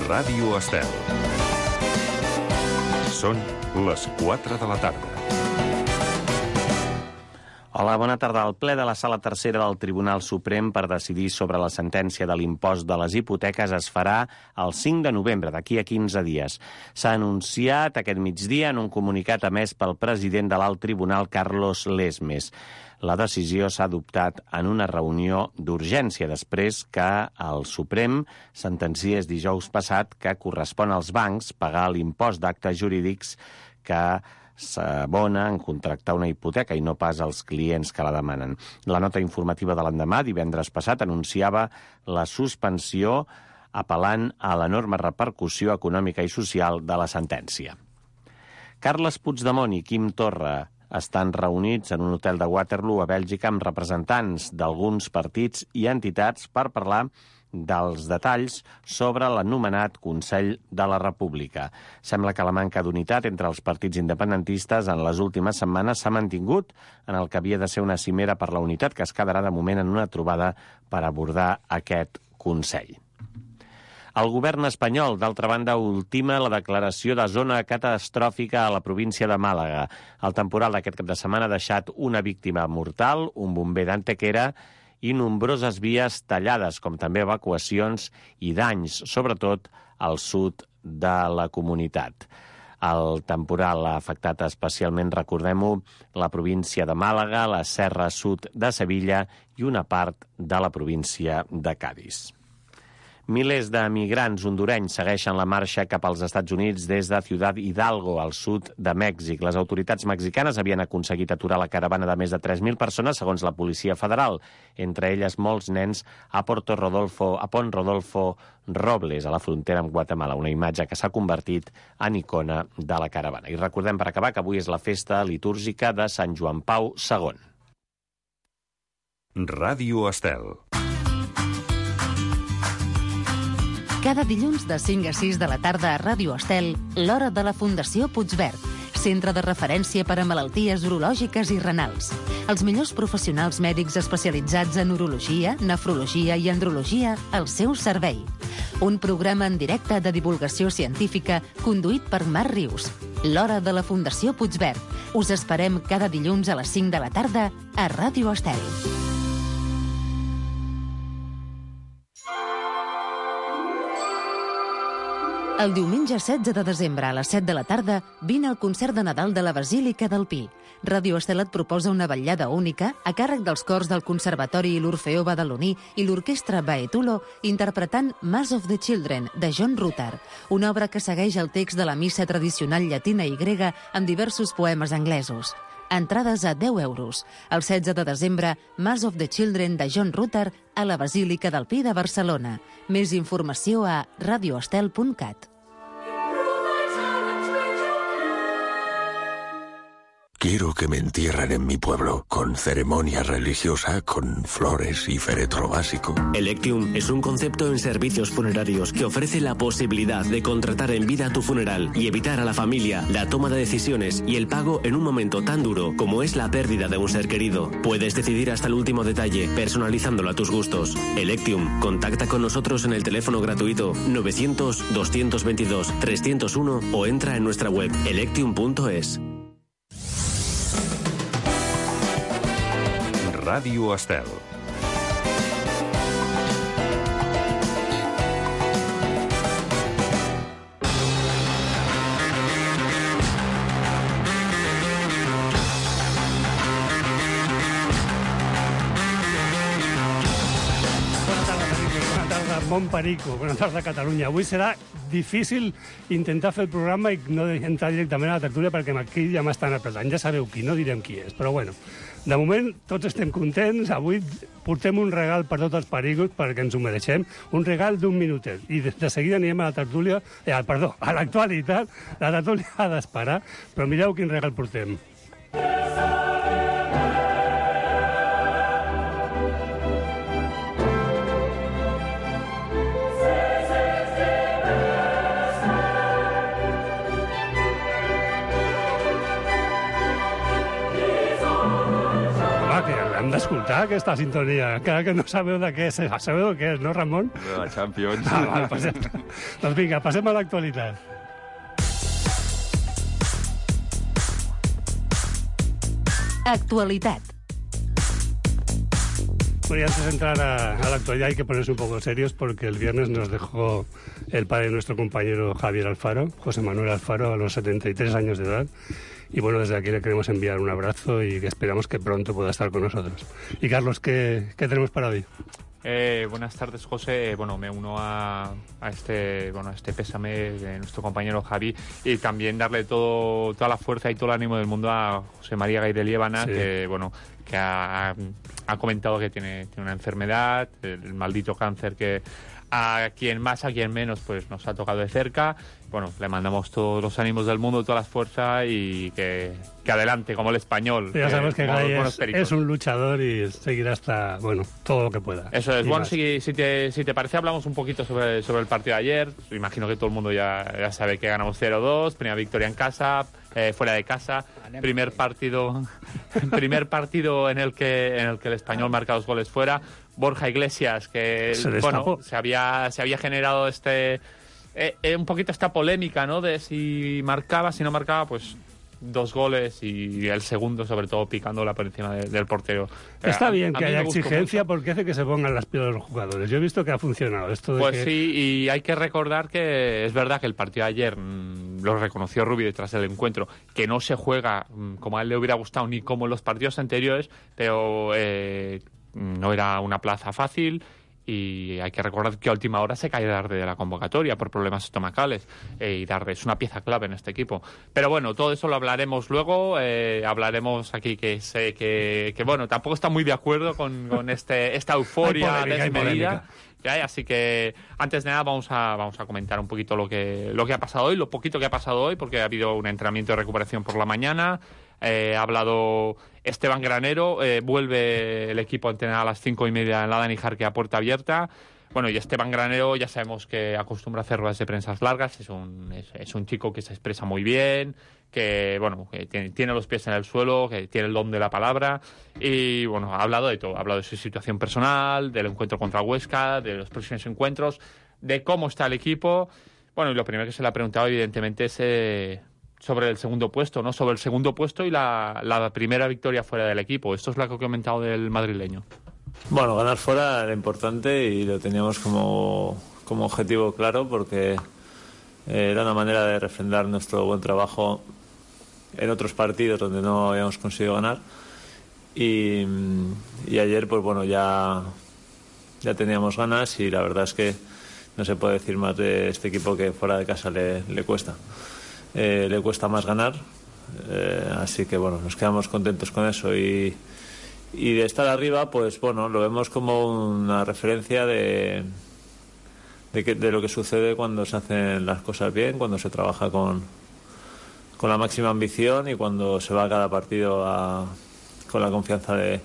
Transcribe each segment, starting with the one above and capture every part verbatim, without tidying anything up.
Ràdio Estel. Són les quatre de la tarda. Hola, bona tarda. El ple de la Sala Tercera del Tribunal Suprem per decidir sobre la sentència de l'impost de les hipoteques es farà el cinc de novembre, d'aquí a quinze dies. S'ha anunciat aquest migdia en un comunicat emès pel president de l'Alt Tribunal, Carlos Lesmes. La decisió s'ha adoptat en una reunió d'urgència després que el Suprem sentenciés dijous passat que correspon als bancs pagar l'impost d'actes jurídics que s'abona en contractar una hipoteca i no pas als clients que la demanen. La nota informativa de l'endemà, divendres passat, anunciava la suspensió apel·lant a l'enorme repercussió econòmica i social de la sentència. Carles Puigdemont i Quim Torra estan reunits en un hotel de Waterloo a Bèlgica amb representants d'alguns partits i entitats per parlar dels detalls sobre l'anomenat Consell de la República. Sembla que la manca d'unitat entre els partits independentistes en les últimes setmanes s'ha mantingut en el que havia de ser una cimera per la unitat, que es quedarà de moment en una trobada per abordar aquest Consell. El govern espanyol, d'altra banda, ultima la declaració de zona catastròfica a la província de Màlaga. El temporal d'aquest cap de setmana ha deixat una víctima mortal, un bomber d'Antequera i nombroses vies tallades, com també evacuacions i danys, sobretot al sud de la comunitat. El temporal ha afectat especialment, recordem-ho, la província de Màlaga, la serra sud de Sevilla i una part de la província de Cadis. Milers de migrants hondurenys segueixen la marxa cap als Estats Units des de Ciudad Hidalgo, al sud de Mèxic. Les autoritats mexicanes havien aconseguit aturar la caravana de més de tres mil persones, segons la Policia Federal, entre elles molts nens a Porto Rodolfo, a Pont Rodolfo Robles, a la frontera amb Guatemala, una imatge que s'ha convertit en icona de la caravana. I recordem, per acabar, que avui és la festa litúrgica de Sant Joan Pau segon. Ràdio Estel. Cada dilluns de cinc a sis de la tarda a Ràdio Estel, l'hora de la Fundació Puigverd, centre de referència per a malalties urològiques i renals. Els millors professionals mèdics especialitzats en urologia, nefrologia i andrologia al seu servei. Un programa en directe de divulgació científica conduït per Marc Rius. L'hora de la Fundació Puigverd. Us esperem cada dilluns a les cinc de la tarda a Ràdio Estel. El diumenge setze de desembre a les set de la tarda vine al concert de Nadal de la Basílica del Pi. Ràdio Estel et proposa una vetllada única a càrrec dels cors del Conservatori i l'Orfeó Badaloní i l'Orquestra Baetulo interpretant Mass of the Children, de John Rutter, una obra que segueix el text de la missa tradicional llatina i grega amb diversos poemes anglesos. Entrades a deu euros. El setze de desembre, Mass of the Children de John Rutter a la Basílica del Pi de Barcelona. Més informació a radioestel punt cat. Quiero que me entierren en mi pueblo, con ceremonia religiosa, con flores y féretro básico. Electium es un concepto en servicios funerarios que ofrece la posibilidad de contratar en vida tu funeral y evitar a la familia la toma de decisiones y el pago en un momento tan duro como es la pérdida de un ser querido. Puedes decidir hasta el último detalle, personalizándolo a tus gustos. Electium, contacta con nosotros en el teléfono gratuito novecientos, doscientos veintidós, trescientos uno o entra en nuestra web electium punto es. Ràdio Estel. Bon Perico, bona tarda a Catalunya. Avui serà difícil intentar fer el programa i no entrar directament a la tertúlia perquè aquí ja m'estan apretant. Ja sabeu qui, no direm qui és, però bueno. De moment, tots estem contents. Avui portem un regal per tots els pericos perquè ens ho mereixem. Un regal d'un minutet. I de, de seguida anirem a la tertúlia... Eh, perdó, a l'actualitat. La tertúlia ha d'esperar, però mireu quin regal portem. escoltar aquesta sintonia? Encara que no sabeu de què és, sabeu què és, no, Ramon? De la Champions. Ah, val, pues ja està. Doncs vinga, passem a l'actualitat. Actualitat. Bueno, y antes de entrar a, a la actualidad hay que ponerse un poco serios porque el viernes nos dejó el padre de nuestro compañero Javier Alfaro, José Manuel Alfaro, a los setenta y tres años de edad. Y bueno, desde aquí le queremos enviar un abrazo y que esperamos que pronto pueda estar con nosotros. Y Carlos, ¿qué, qué tenemos para hoy? Eh, buenas tardes, José. Bueno, me uno a, a este bueno a este pésame de nuestro compañero Javi y también darle todo toda la fuerza y todo el ánimo del mundo a José María Gay de Liébana, sí. que bueno que ha, ha comentado que tiene, tiene una enfermedad, el maldito cáncer que a quien más, a quien menos, pues nos ha tocado de cerca. Bueno, le mandamos todos los ánimos del mundo, todas las fuerzas y que, que adelante, como el español. Ya sabes que Gay es, es un luchador y seguirá hasta, bueno, todo lo que pueda. Eso es. Bueno, si, si, te, si te parece, hablamos un poquito sobre, sobre el partido de ayer. Imagino que todo el mundo ya, ya sabe que ganamos cero dos, primera victoria en casa, eh, fuera de casa. Primer partido, primer partido en el que en el que el español marca dos goles fuera. Borja Iglesias, que se bueno, se había se había generado este eh, eh, un poquito esta polémica, ¿no? De si marcaba, si no marcaba, pues dos goles y el segundo, sobre todo, picándola por encima de, del portero. Está a, bien a que haya exigencia porque hace que se pongan las pilas los jugadores. Yo he visto que ha funcionado esto de Pues que... sí, y hay que recordar que es verdad que el partido de ayer mmm, lo reconoció Rubio detrás del encuentro, que no se juega mmm, como a él le hubiera gustado ni como en los partidos anteriores, pero eh, no era una plaza fácil. Y hay que recordar que a última hora se cae Darde de la convocatoria por problemas estomacales. Eh, y Darde es una pieza clave en este equipo. Pero bueno, todo eso lo hablaremos luego. Eh, hablaremos aquí que sé que, que, bueno, tampoco está muy de acuerdo con, con este esta euforia desmedida. Así que antes de nada vamos a vamos a comentar un poquito lo que lo que ha pasado hoy, lo poquito que ha pasado hoy, porque ha habido un entrenamiento de recuperación por la mañana. Eh, ha hablado Esteban Granero, eh, vuelve el equipo a entrenar a las cinco y media en la Dani Jarque a puerta abierta. Bueno, y Esteban Granero ya sabemos que acostumbra a hacer ruedas de prensa largas, es un, es, es un chico que se expresa muy bien, que bueno, que tiene, tiene los pies en el suelo, que tiene el don de la palabra y bueno, ha hablado de todo, ha hablado de su situación personal, del encuentro contra Huesca, de los próximos encuentros, de cómo está el equipo. Bueno, y lo primero que se le ha preguntado evidentemente es eh, sobre el segundo puesto, ¿no? Sobre el segundo puesto y la, la primera victoria fuera del equipo. Esto es lo que he comentado del madrileño. Bueno, ganar fuera era importante y lo teníamos como, como objetivo claro porque eh, era una manera de refrendar nuestro buen trabajo en otros partidos donde no habíamos conseguido ganar y, y ayer pues bueno ya, ya teníamos ganas y la verdad es que no se puede decir más de este equipo que fuera de casa le, le cuesta. Eh, le cuesta más ganar, eh, así que bueno, nos quedamos contentos con eso y, y de estar arriba pues bueno, lo vemos como una referencia de, de, que, de lo que sucede cuando se hacen las cosas bien, cuando se trabaja con, con la máxima ambición y cuando se va a cada partido a, con la confianza de,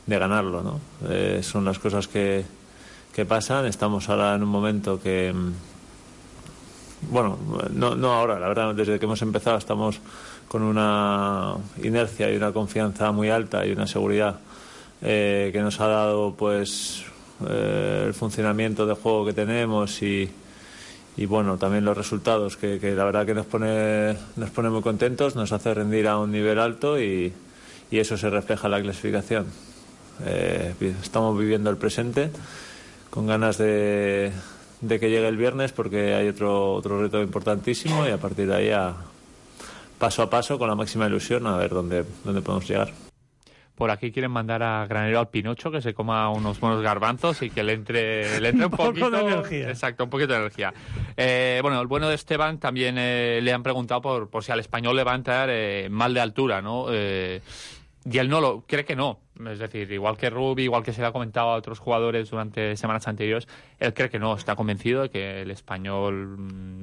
de ganarlo, ¿no? Eh, son las cosas que, que pasan. Estamos ahora en un momento que bueno, no, no ahora, la verdad, desde que hemos empezado estamos con una inercia y una confianza muy alta y una seguridad eh, que nos ha dado pues eh, el funcionamiento de juego que tenemos y, y bueno, también los resultados que, que la verdad que nos pone, nos pone muy contentos, nos hace rendir a un nivel alto y, y eso se refleja en la clasificación. Eh, estamos viviendo el presente con ganas de de que llegue el viernes porque hay otro otro reto importantísimo y a partir de ahí a, paso a paso con la máxima ilusión a ver dónde, dónde podemos llegar. Por aquí quieren mandar a Granero al Pinocho que se coma unos buenos garbanzos y que le entre, le entre un, un poquito poco de energía. Exacto, un poquito de energía. Eh, bueno, el bueno de Esteban también eh, le han preguntado por, por si al español le va a entrar eh, mal de altura, ¿no? Eh, y él no lo cree que no. Es decir, igual que Rubi, igual que se le ha comentado a otros jugadores durante semanas anteriores, él cree que no, está convencido de que el español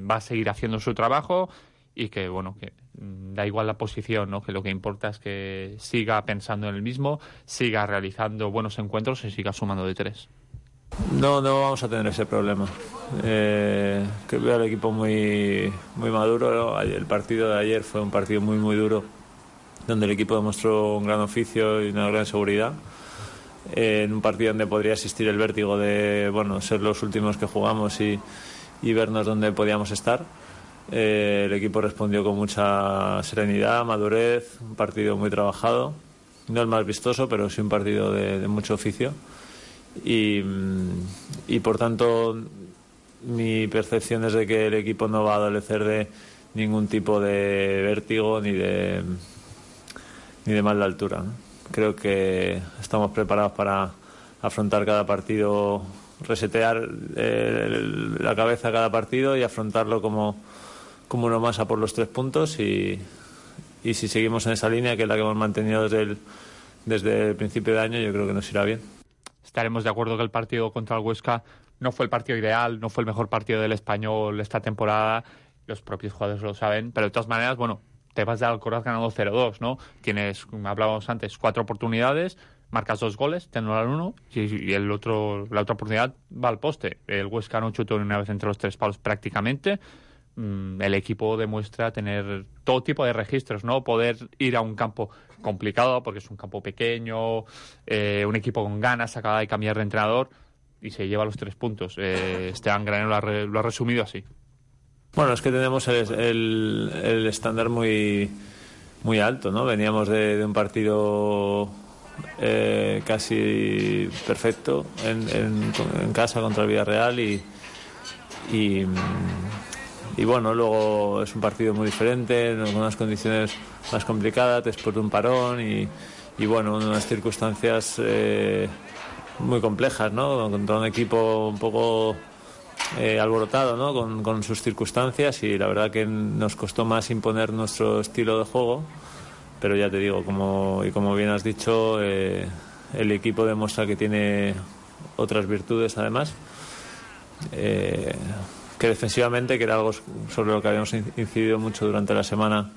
va a seguir haciendo su trabajo y que, bueno, que da igual la posición, ¿no? Que lo que importa es que siga pensando en el mismo, siga realizando buenos encuentros y siga sumando de tres. No, no vamos a tener ese problema. Eh, que veo al equipo muy, muy maduro. El partido de ayer fue un partido muy, muy duro, donde el equipo demostró un gran oficio y una gran seguridad. eh, en un partido donde podría existir el vértigo de, bueno, ser los últimos que jugamos y, y vernos donde podíamos estar. Eh, el equipo respondió con mucha serenidad, madurez, un partido muy trabajado, no el más vistoso, pero sí un partido de, de mucho oficio y, y por tanto mi percepción es de que el equipo no va a adolecer de ningún tipo de vértigo ni de ni de mal de altura, ¿no? Creo que estamos preparados para afrontar cada partido, resetear eh, la cabeza cada partido y afrontarlo como como uno más a por los tres puntos y, y si seguimos en esa línea, que es la que hemos mantenido desde el, desde el principio de año, yo creo que nos irá bien. Estaremos de acuerdo que el partido contra el Huesca no fue el partido ideal, no fue el mejor partido del Español esta temporada, los propios jugadores lo saben, pero de todas maneras, bueno, te vas de Alcoraz ganando cero dos, ¿no? Tienes, como hablábamos antes, cuatro oportunidades, marcas dos goles, te anulan uno y, y el otro, la otra oportunidad va al poste. El Huesca no chutó ni una vez entre los tres palos prácticamente. El equipo demuestra tener todo tipo de registros, ¿no? Poder ir a un campo complicado porque es un campo pequeño, eh, un equipo con ganas, acaba de cambiar de entrenador y se lleva los tres puntos. Eh, Esteban Granero lo ha, re, lo ha resumido así. Bueno, es que tenemos el, el, el estándar muy, muy alto, ¿no? Veníamos de, de un partido eh, casi perfecto en, en, en casa contra el Villarreal y... y Y bueno, luego es un partido muy diferente, en unas condiciones más complicadas, después de un parón y, y bueno, unas circunstancias eh, muy complejas, ¿no? Contra un equipo un poco eh, alborotado, ¿no? Con, con sus circunstancias y la verdad que nos costó más imponer nuestro estilo de juego, pero ya te digo, como, y como bien has dicho, eh, el equipo demuestra que tiene otras virtudes además. Eh, que defensivamente, que era algo sobre lo que habíamos incidido mucho durante la semana,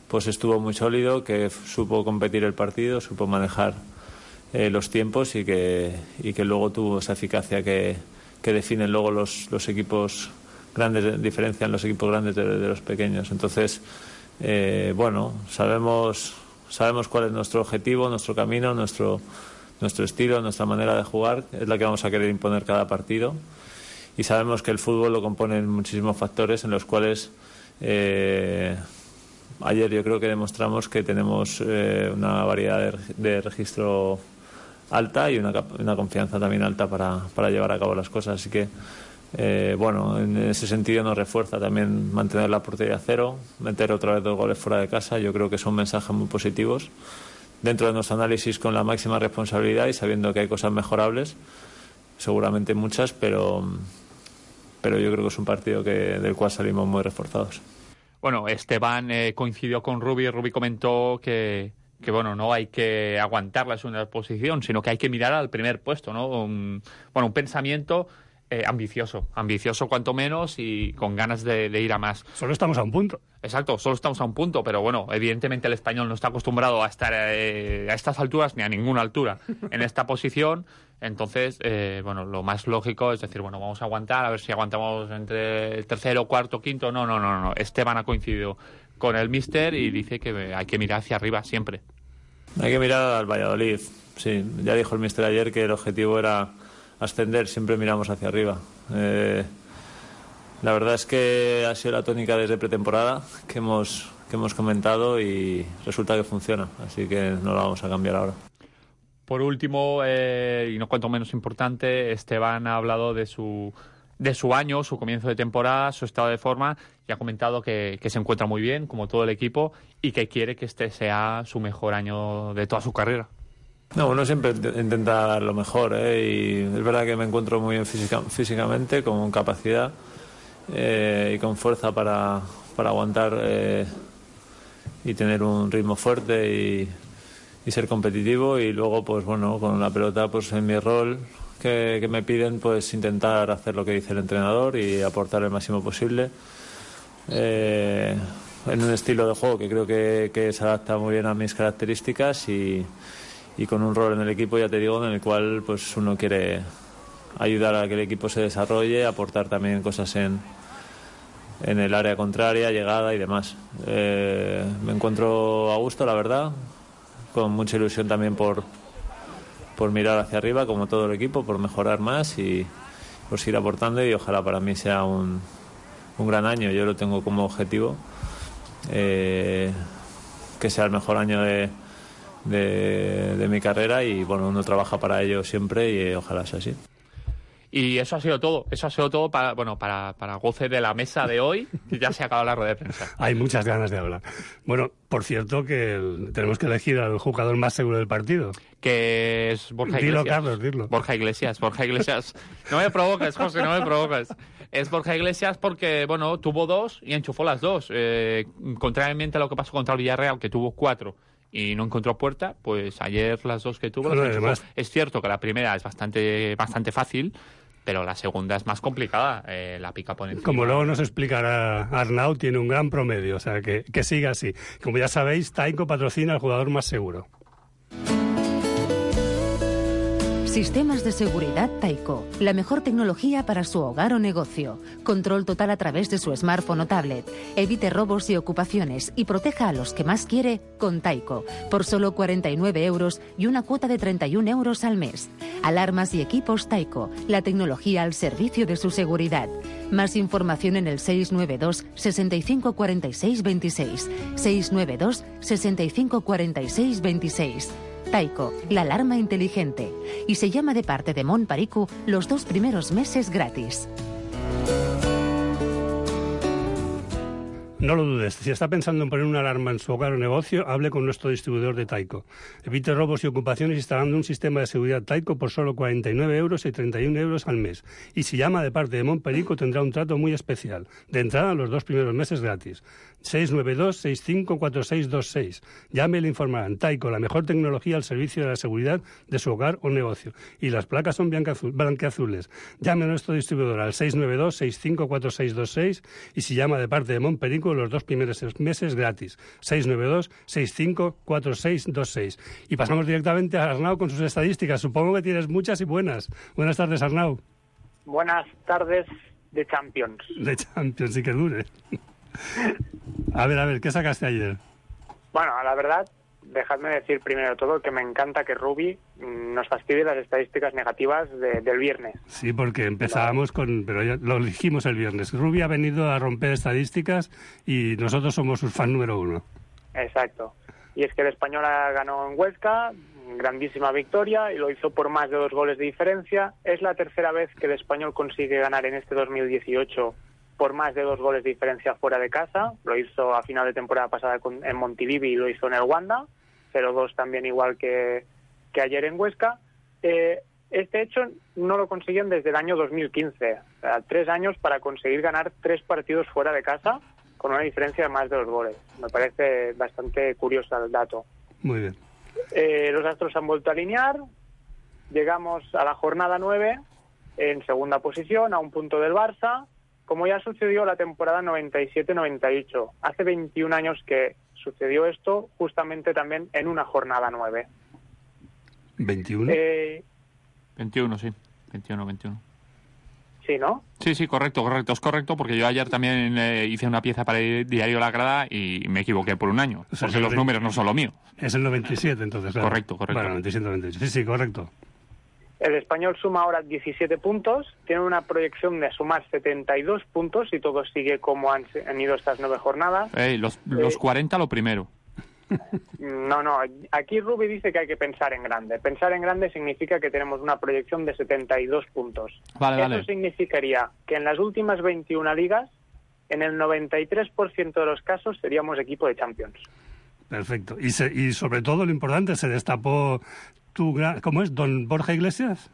pues estuvo muy sólido, que supo competir el partido, supo manejar eh, los tiempos y que, y que luego tuvo esa eficacia que, que definen luego los, los equipos grandes, diferencian los equipos grandes de, de los pequeños. Entonces, eh, bueno, sabemos, sabemos cuál es nuestro objetivo, nuestro camino, nuestro, nuestro estilo, nuestra manera de jugar, es la que vamos a querer imponer cada partido. Y sabemos que el fútbol lo componen muchísimos factores en los cuales eh, ayer yo creo que demostramos que tenemos eh, una variedad de, de registro alta y una, una confianza también alta para, para llevar a cabo las cosas. Así que, eh, bueno, en ese sentido nos refuerza también mantener la portería a cero, meter otra vez dos goles fuera de casa. Yo creo que son mensajes muy positivos dentro de nuestro análisis con la máxima responsabilidad y sabiendo que hay cosas mejorables, seguramente muchas, pero... pero yo creo que es un partido que, del cual salimos muy reforzados. Bueno, Esteban eh, coincidió con Rubi. Rubi comentó que, que bueno, no hay que aguantar la segunda posición, sino que hay que mirar al primer puesto, ¿no? Un, bueno, un pensamiento eh, ambicioso, ambicioso cuanto menos y con ganas de, de ir a más. Solo estamos a un punto. Exacto, solo estamos a un punto, pero bueno, evidentemente el Español no está acostumbrado a estar eh, a estas alturas ni a ninguna altura en esta posición. Entonces, eh, bueno, lo más lógico es decir, bueno, vamos a aguantar, a ver si aguantamos entre el tercero, cuarto, quinto. No, no, no, no. Esteban ha coincidido con el míster y dice que hay que mirar hacia arriba siempre. Hay que mirar al Valladolid. Sí, ya dijo el míster ayer que el objetivo era ascender, siempre miramos hacia arriba. Eh, la verdad es que ha sido la tónica desde pretemporada que hemos, que hemos comentado y resulta que funciona, así que no la vamos a cambiar ahora. Por último, eh, y no cuanto menos importante, Esteban ha hablado de su, de su año, su comienzo de temporada, su estado de forma, y ha comentado que, que se encuentra muy bien, como todo el equipo, y que quiere que este sea su mejor año de toda su carrera. No, uno siempre intenta dar lo mejor, ¿eh? Y es verdad que me encuentro muy bien física, físicamente, con capacidad eh, y con fuerza para, para aguantar eh, y tener un ritmo fuerte y, y ser competitivo. Y luego, pues bueno, con la pelota, pues en mi rol que, que me piden, pues intentar hacer lo que dice el entrenador y aportar el máximo posible. Eh, en un estilo de juego que creo que, que se adapta muy bien a mis características y y con un rol en el equipo, ya te digo, en el cual pues uno quiere ayudar a que el equipo se desarrolle, aportar también cosas en, en el área contraria, llegada y demás. Eh, me encuentro a gusto, la verdad, con mucha ilusión también por, por mirar hacia arriba, como todo el equipo, por mejorar más y por seguir aportando, y ojalá para mí sea un, un gran año. Yo lo tengo como objetivo, eh, que sea el mejor año de, de, de mi carrera, y bueno, uno trabaja para ello siempre y eh, ojalá sea así. Y eso ha sido todo, eso ha sido todo para, bueno, para, para goce de la mesa de hoy, que ya se ha acabado la rueda de prensa. Hay muchas ganas de hablar. Bueno, por cierto, que el, tenemos que elegir al jugador más seguro del partido. Que es Borja Iglesias. Dilo, Carlos, dilo. Borja Iglesias, Borja Iglesias. No me provoques, José, no me provoques. Es Borja Iglesias porque, bueno, tuvo dos y enchufó las dos. Eh, contrariamente a lo que pasó contra el Villarreal, que tuvo cuatro y no encontró puerta, pues ayer las dos que tuvo, bueno, las además, es cierto que la primera es bastante, bastante fácil, pero la segunda es más complicada, eh, la pica por encima. Como luego nos explicará Arnau, tiene un gran promedio, o sea, que, que siga así. Como ya sabéis, Taiko patrocina al jugador más seguro. Sistemas de seguridad Taiko, la mejor tecnología para su hogar o negocio. Control total a través de su smartphone o tablet. Evite robos y ocupaciones y proteja a los que más quiere con Taiko, por solo cuarenta y nueve euros y una cuota de treinta y un euros al mes. Alarmas y equipos Taiko, la tecnología al servicio de su seguridad. Más información en el seis nueve dos, sesenta y cinco cuarenta y seis veintiséis. seis nueve dos, sesenta y cinco cuarenta y seis veintiséis. Taiko, la alarma inteligente. Y se llama de parte de Mon Pariku los dos primeros meses gratis. No lo dudes, si está pensando en poner una alarma en su hogar o negocio, hable con nuestro distribuidor de Taiko. Evite robos y ocupaciones instalando un sistema de seguridad Taiko por solo cuarenta y nueve euros y treinta y un euros al mes. Y si llama de parte de Montperico tendrá un trato muy especial. De entrada, los dos primeros meses gratis. seis nueve dos, sesenta y cinco cuarenta y seis veintiséis. Llame y le informarán. Taiko, la mejor tecnología al servicio de la seguridad de su hogar o negocio. Y las placas son blanqueazules. Llame a nuestro distribuidor al seis nueve dos, sesenta y cinco cuarenta y seis veintiséis y si llama de parte de Montperico, los dos primeros meses gratis. seis nueve dos, sesenta y cinco cuarenta y seis veintiséis. Y pasamos directamente a Arnau con sus estadísticas. Supongo que tienes muchas y buenas. Buenas tardes, Arnau. Buenas tardes de Champions. De Champions, sí que dure. A ver, a ver, ¿qué sacaste ayer? Bueno, la verdad, dejadme decir primero de todo que me encanta que Rubi nos fastidie las estadísticas negativas de, del viernes. Sí, porque empezábamos con... Pero ya lo dijimos el viernes. Rubi ha venido a romper estadísticas y nosotros somos su fan número uno. Exacto. Y es que el Español ganó en Huesca, grandísima victoria, y lo hizo por más de dos goles de diferencia. Es la tercera vez que el Español consigue ganar en este dos mil dieciocho por más de dos goles de diferencia fuera de casa. Lo hizo a final de temporada pasada con, en Montilivi y lo hizo en el Wanda. cero dos también igual que, que ayer en Huesca. Eh, este hecho no lo consiguen desde el año dos mil quince. O sea, tres años para conseguir ganar tres partidos fuera de casa con una diferencia de más de dos goles. Me parece bastante curioso el dato. Muy bien. Eh, los astros han vuelto a alinear. Llegamos a la jornada nueve en segunda posición, a un punto del Barça, como ya sucedió la temporada noventa y siete noventa y ocho. Hace veintiún años que sucedió esto, justamente también en una jornada nueve. ¿veintiuno? Eh, veintiuno, sí. veintiuno, veintiuno. Sí, ¿no? Sí, sí, correcto, correcto. Es correcto porque yo ayer también eh, hice una pieza para el diario La Grada y me equivoqué por un año. O sea, porque los números no son lo mío. Es el noventa y siete, entonces. Claro. Correcto, correcto. Bueno, noventa y siete noventa y ocho. Sí, sí, correcto. El Español suma ahora diecisiete puntos, tiene una proyección de sumar setenta y dos puntos y todo sigue como han, han ido estas nueve jornadas. Eh, los, los eh, cuarenta lo primero. No, no, aquí Rubi dice que hay que pensar en grande. Pensar en grande significa que tenemos una proyección de setenta y dos puntos. Vale, Eso vale. significaría que en las últimas veintiuna ligas, en el noventa y tres por ciento de los casos seríamos equipo de Champions. Perfecto. Y, se, y sobre todo lo importante, se destapó tu gran... ¿Cómo es? ¿Don Borja Iglesias?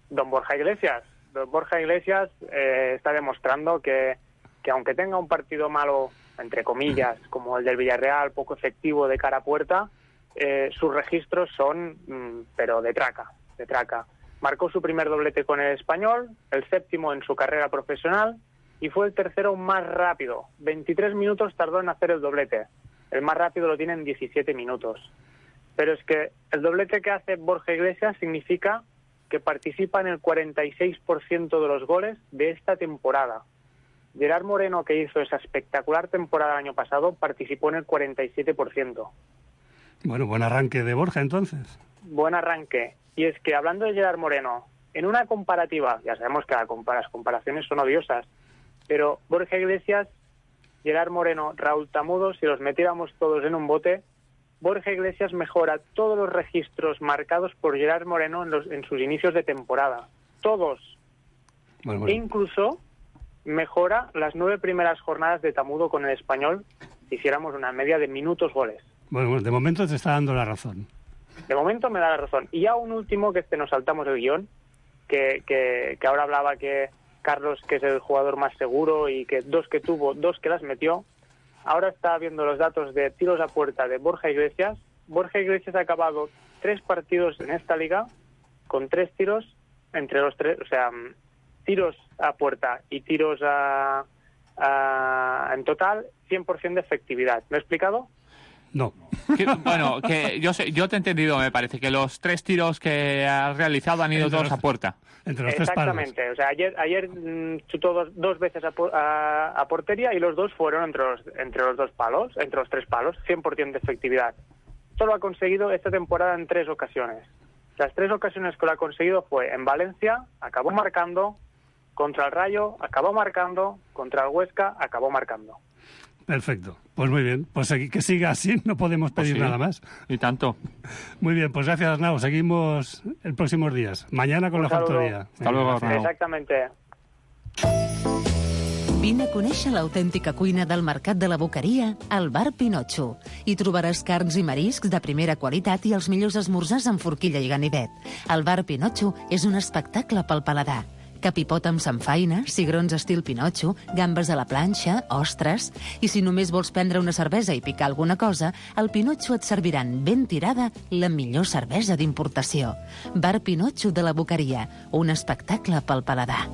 Don Borja Iglesias. Don Borja Iglesias eh, está demostrando que, que aunque tenga un partido malo, entre comillas, como el del Villarreal, poco efectivo de cara a puerta, eh, sus registros son, mmm, pero de traca, de traca. Marcó su primer doblete con el Español, el séptimo en su carrera profesional, y fue el tercero más rápido. veintitrés minutos tardó en hacer el doblete. El más rápido lo tiene en diecisiete minutos. Pero es que el doblete que hace Borja Iglesias significa que participa en el cuarenta y seis por ciento de los goles de esta temporada. Gerard Moreno, que hizo esa espectacular temporada el año pasado, participó en el cuarenta y siete por ciento. Bueno, buen arranque de Borja, entonces. Buen arranque. Y es que hablando de Gerard Moreno, en una comparativa, ya sabemos que la compara- las comparaciones son odiosas, pero Borja Iglesias, Gerard Moreno, Raúl Tamudo, si los metiéramos todos en un bote, Borja Iglesias mejora todos los registros marcados por Gerard Moreno en, los, en sus inicios de temporada. Todos. Bueno, bueno. E incluso mejora las nueve primeras jornadas de Tamudo con el Español si hiciéramos una media de minutos goles. Bueno, bueno, de momento te está dando la razón. De momento me da la razón. Y ya un último, que este nos saltamos el guión, que, que, que ahora hablaba que Carlos, que es el jugador más seguro y que dos que tuvo, dos que las metió. Ahora está viendo los datos de tiros a puerta de Borja Iglesias. Borja Iglesias ha acabado tres partidos en esta liga con tres tiros entre los tres, o sea, tiros a puerta y tiros a, a en total cien por ciento de efectividad. ¿Me he explicado? No. Que, bueno, que yo sé, yo te he entendido, me parece, que los tres tiros que has realizado han ido Entre todos los- a puerta. Entre los tres palos. Exactamente. O sea, ayer, ayer mm, chutó dos, dos veces a, po- a, a portería y los dos fueron entre los, entre los dos palos, entre los tres palos, cien por ciento de efectividad. Esto lo ha conseguido esta temporada en tres ocasiones. Las tres ocasiones que lo ha conseguido fue en Valencia, acabó marcando, contra el Rayo, acabó marcando, contra el Huesca, acabó marcando. Perfecto. Pues muy bien. Pues segui- que siga así, no podemos Pues pedir sí. nada más. Y tanto. Muy bien, pues gracias, Arnau. Seguimos el próximos días. Mañana con Un la saludo. factoría. Hasta luego, Gracias. Arnau. Exactamente. Vine a conèixer l'autèntica cuina del Mercat de la Boqueria al Bar Pinotxo. Hi trobaràs carns i mariscs de primera qualitat i els millors esmorzars amb forquilla i ganivet. El Bar Pinotxo és un espectacle pel paladar. Capipot amb samfaina, cigrons estil Pinotxo, gambes a la planxa, ostres... I si només vols prendre una cervesa i picar alguna cosa, al Pinotxo et serviran ben tirada la millor cervesa d'importació. Bar Pinotxo de la Boqueria, un espectacle pel paladar.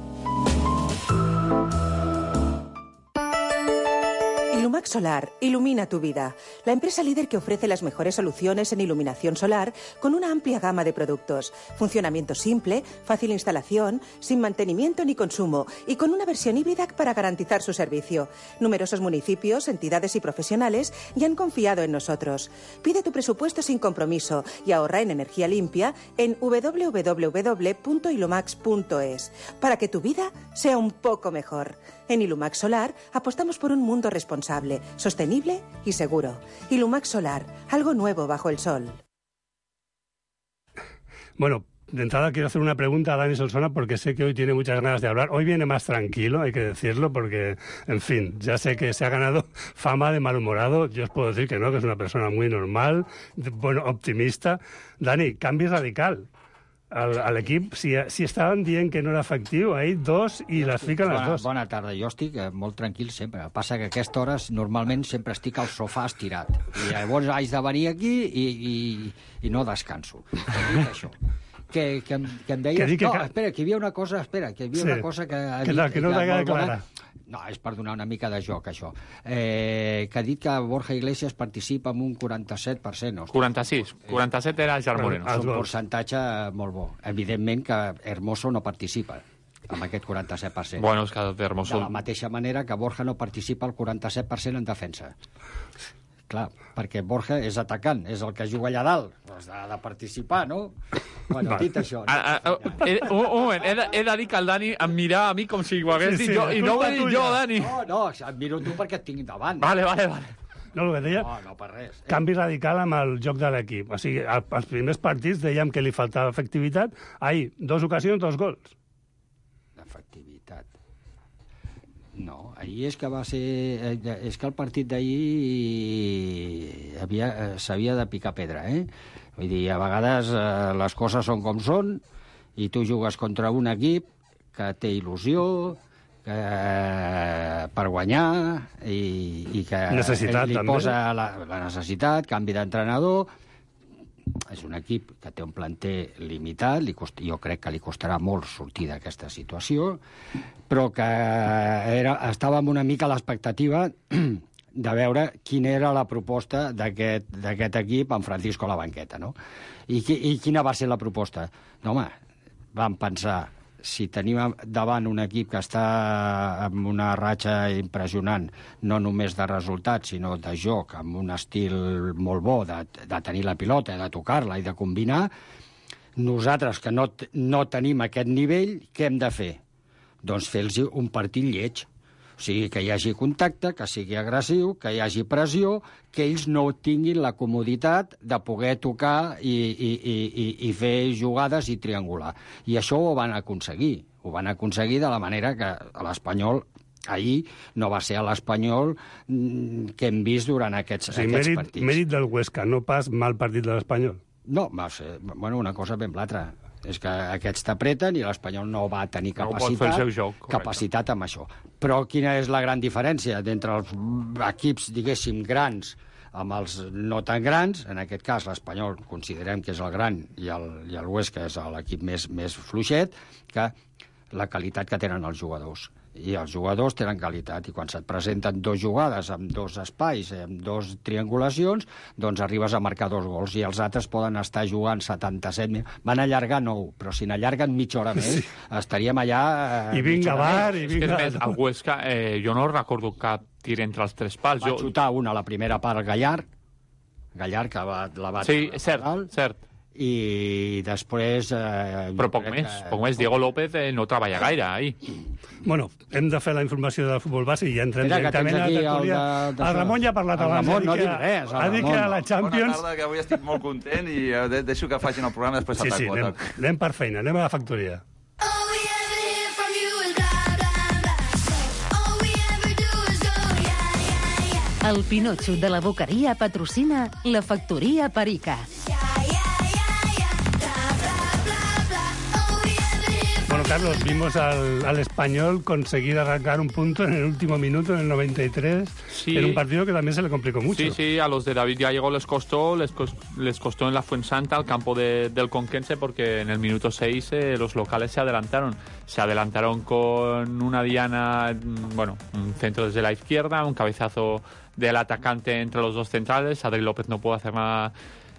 Ilumax Solar ilumina tu vida. La empresa líder que ofrece las mejores soluciones en iluminación solar con una amplia gama de productos. Funcionamiento simple, fácil instalación, sin mantenimiento ni consumo y con una versión híbrida para garantizar su servicio. Numerosos municipios, entidades y profesionales ya han confiado en nosotros. Pide tu presupuesto sin compromiso y ahorra en energía limpia en doble u doble u doble u punto ilumax punto es para que tu vida sea un poco mejor. En Ilumax Solar apostamos por un mundo responsable, sostenible y seguro. Ilumax Solar, algo nuevo bajo el sol. Bueno, de entrada quiero hacer una pregunta a Dani Solsona porque sé que hoy tiene muchas ganas de hablar. Hoy viene más tranquilo, hay que decirlo, porque, en fin, ya sé que se ha ganado fama de malhumorado. Yo os puedo decir que no, que es una persona muy normal, de- bueno, optimista. Dani, canvi radical al, a l'equip. Si, si estaven dient que no era efectiu, ahir dos i les fiquen les Bona, dos. bona tarda. Jo estic eh, molt tranquil sempre. Passa que a aquesta hora normalment sempre estic al sofà estirat. I llavors haig de venir aquí i, i, i no descanso. Dic això. Que, que, em, que em deies... Que dic que no, ca- espera, que hi havia una cosa... Espera, que hi havia Sí. una cosa que... ha Que dit- no- que no t'ha molt bona. clara. No, és per donar una mica de joc, això. Eh, que ha dit que Borja Iglesias participa amb un quaranta-set per cent. Ostres, quaranta-sis. quaranta-set era Gerard Moreno. és un percentatge molt bo. Evidentment que Hermoso no participa amb aquest quaranta-set per cent. Bueno, és que de Hermoso... De la mateixa manera que Borja no participa al quaranta-set per cent en defensa. Clar, perquè Borja és atacant, és el que juga allà dalt. Doncs ha de participar, no? Bueno, dit això... No? Ah, ah, ah, he, un, un moment, he de, he de dir que el Dani em mira a mi com si ho hagués Sí, dit sí, jo, i no ho he culpa dit jo, tuya. Dani. No, no, et miro tu perquè et tinc davant. Vale, vale, vale. No, el que deia, No, no, per res. Eh? canvi radical amb el joc de l'equip. O sigui, al- als primers partits dèiem que li faltava efectivitat. Ahir, dos ocasions, dos gols. Efectivitat. No, ahir és que va ser... eh, És que el partit d'ahir havia, eh, s'havia de picar pedra, eh? Vull dir, a vegades eh, les coses són com són i tu jugues contra un equip que té il·lusió, que, eh, per guanyar i, i que Necessitat, li també. posa la, la necessitat, canvi d'entrenador. És un equip que té un planter limitat, li cost... jo crec que li costarà molt sortir d'aquesta situació, però que era... estàvem una mica a l'expectativa de veure quina era la proposta d'aquest d'aquest equip amb Francisco a la banqueta, no? I, qui... I quina va ser la proposta? No, home, vam pensar, si tenim davant un equip que està amb una ratxa impressionant, no només de resultats, sinó de joc, amb un estil molt bo de, de tenir la pilota, de tocar-la i de combinar, Nosaltres, que no, no tenim aquest nivell, què hem de fer? Doncs fer-los un partit lleig. O sigui, que hi hagi contacte, que sigui agressiu, que hi hagi pressió, que ells no tinguin la comoditat de poder tocar i, i, i, i fer jugades i triangular. I això ho van aconseguir. Ho van aconseguir de la manera que l'Espanyol ahir no va ser l'Espanyol que hem vist durant aquests, sí, aquests mèrit, partits. Mèrit del Huesca, no pas mal partit de l'Espanyol. No, va ser, bueno, una cosa ben l'altra. És que aquests t'apreten i l'Espanyol no va tenir capacitat, no pot fer el seu joc, capacitat amb això. Però quina és la gran diferència d'entre els equips, diguéssim, grans amb els no tan grans? En aquest cas, l'Espanyol considerem que és el gran i el, i el Huesca és l'equip més, més fluixet, que la qualitat que tenen els jugadors. I els jugadors tenen qualitat, i quan se't presenten dos jugades amb dos espais, amb dos triangulacions, doncs arribes a marcar dos gols, i els altres poden estar jugant setanta-set minuts. Van allargar nou, però si n'allarguen mitja hora més, sí. estaríem allà... Eh, I vinga, bar, i vinga... És que, més, el Huesca, eh, jo no recordo cap tir entre els tres pals. Va jo... xutar una a la primera part al Gallar, Gallar, que va, la va... Sí, cert, cert. I després... Eh, Però poc més, que... poc més. Diego López eh, no treballa gaire, ahí. Bueno, hem de fer la informació del futbol base i ja entrem Mira, directament a la tertúlia. El, de... el Ramon ja ha parlat el abans. Ramon no dic res. Ha dit que a la Champions... Bona tarda, que avui estic molt content i de deixo que facin el programa després sí, ataco. Sí, anem, anem per feina, anem a la factoria. El Pinotxo de la Boqueria patrocina la Factoria Perica. Bueno, Carlos, vimos al, al Español conseguir arrancar un punto en el último minuto, en el noventa y tres, sí. En un partido que también se le complicó mucho. Sí, sí, a los de David Gallego les costó, les, cos, les costó en la Fuensanta, al campo de, del Conquense, porque en el minuto seis eh, los locales se adelantaron. Se adelantaron con una diana, bueno, un centro desde la izquierda, un cabezazo del atacante entre los dos centrales. Adri López no pudo hacer nada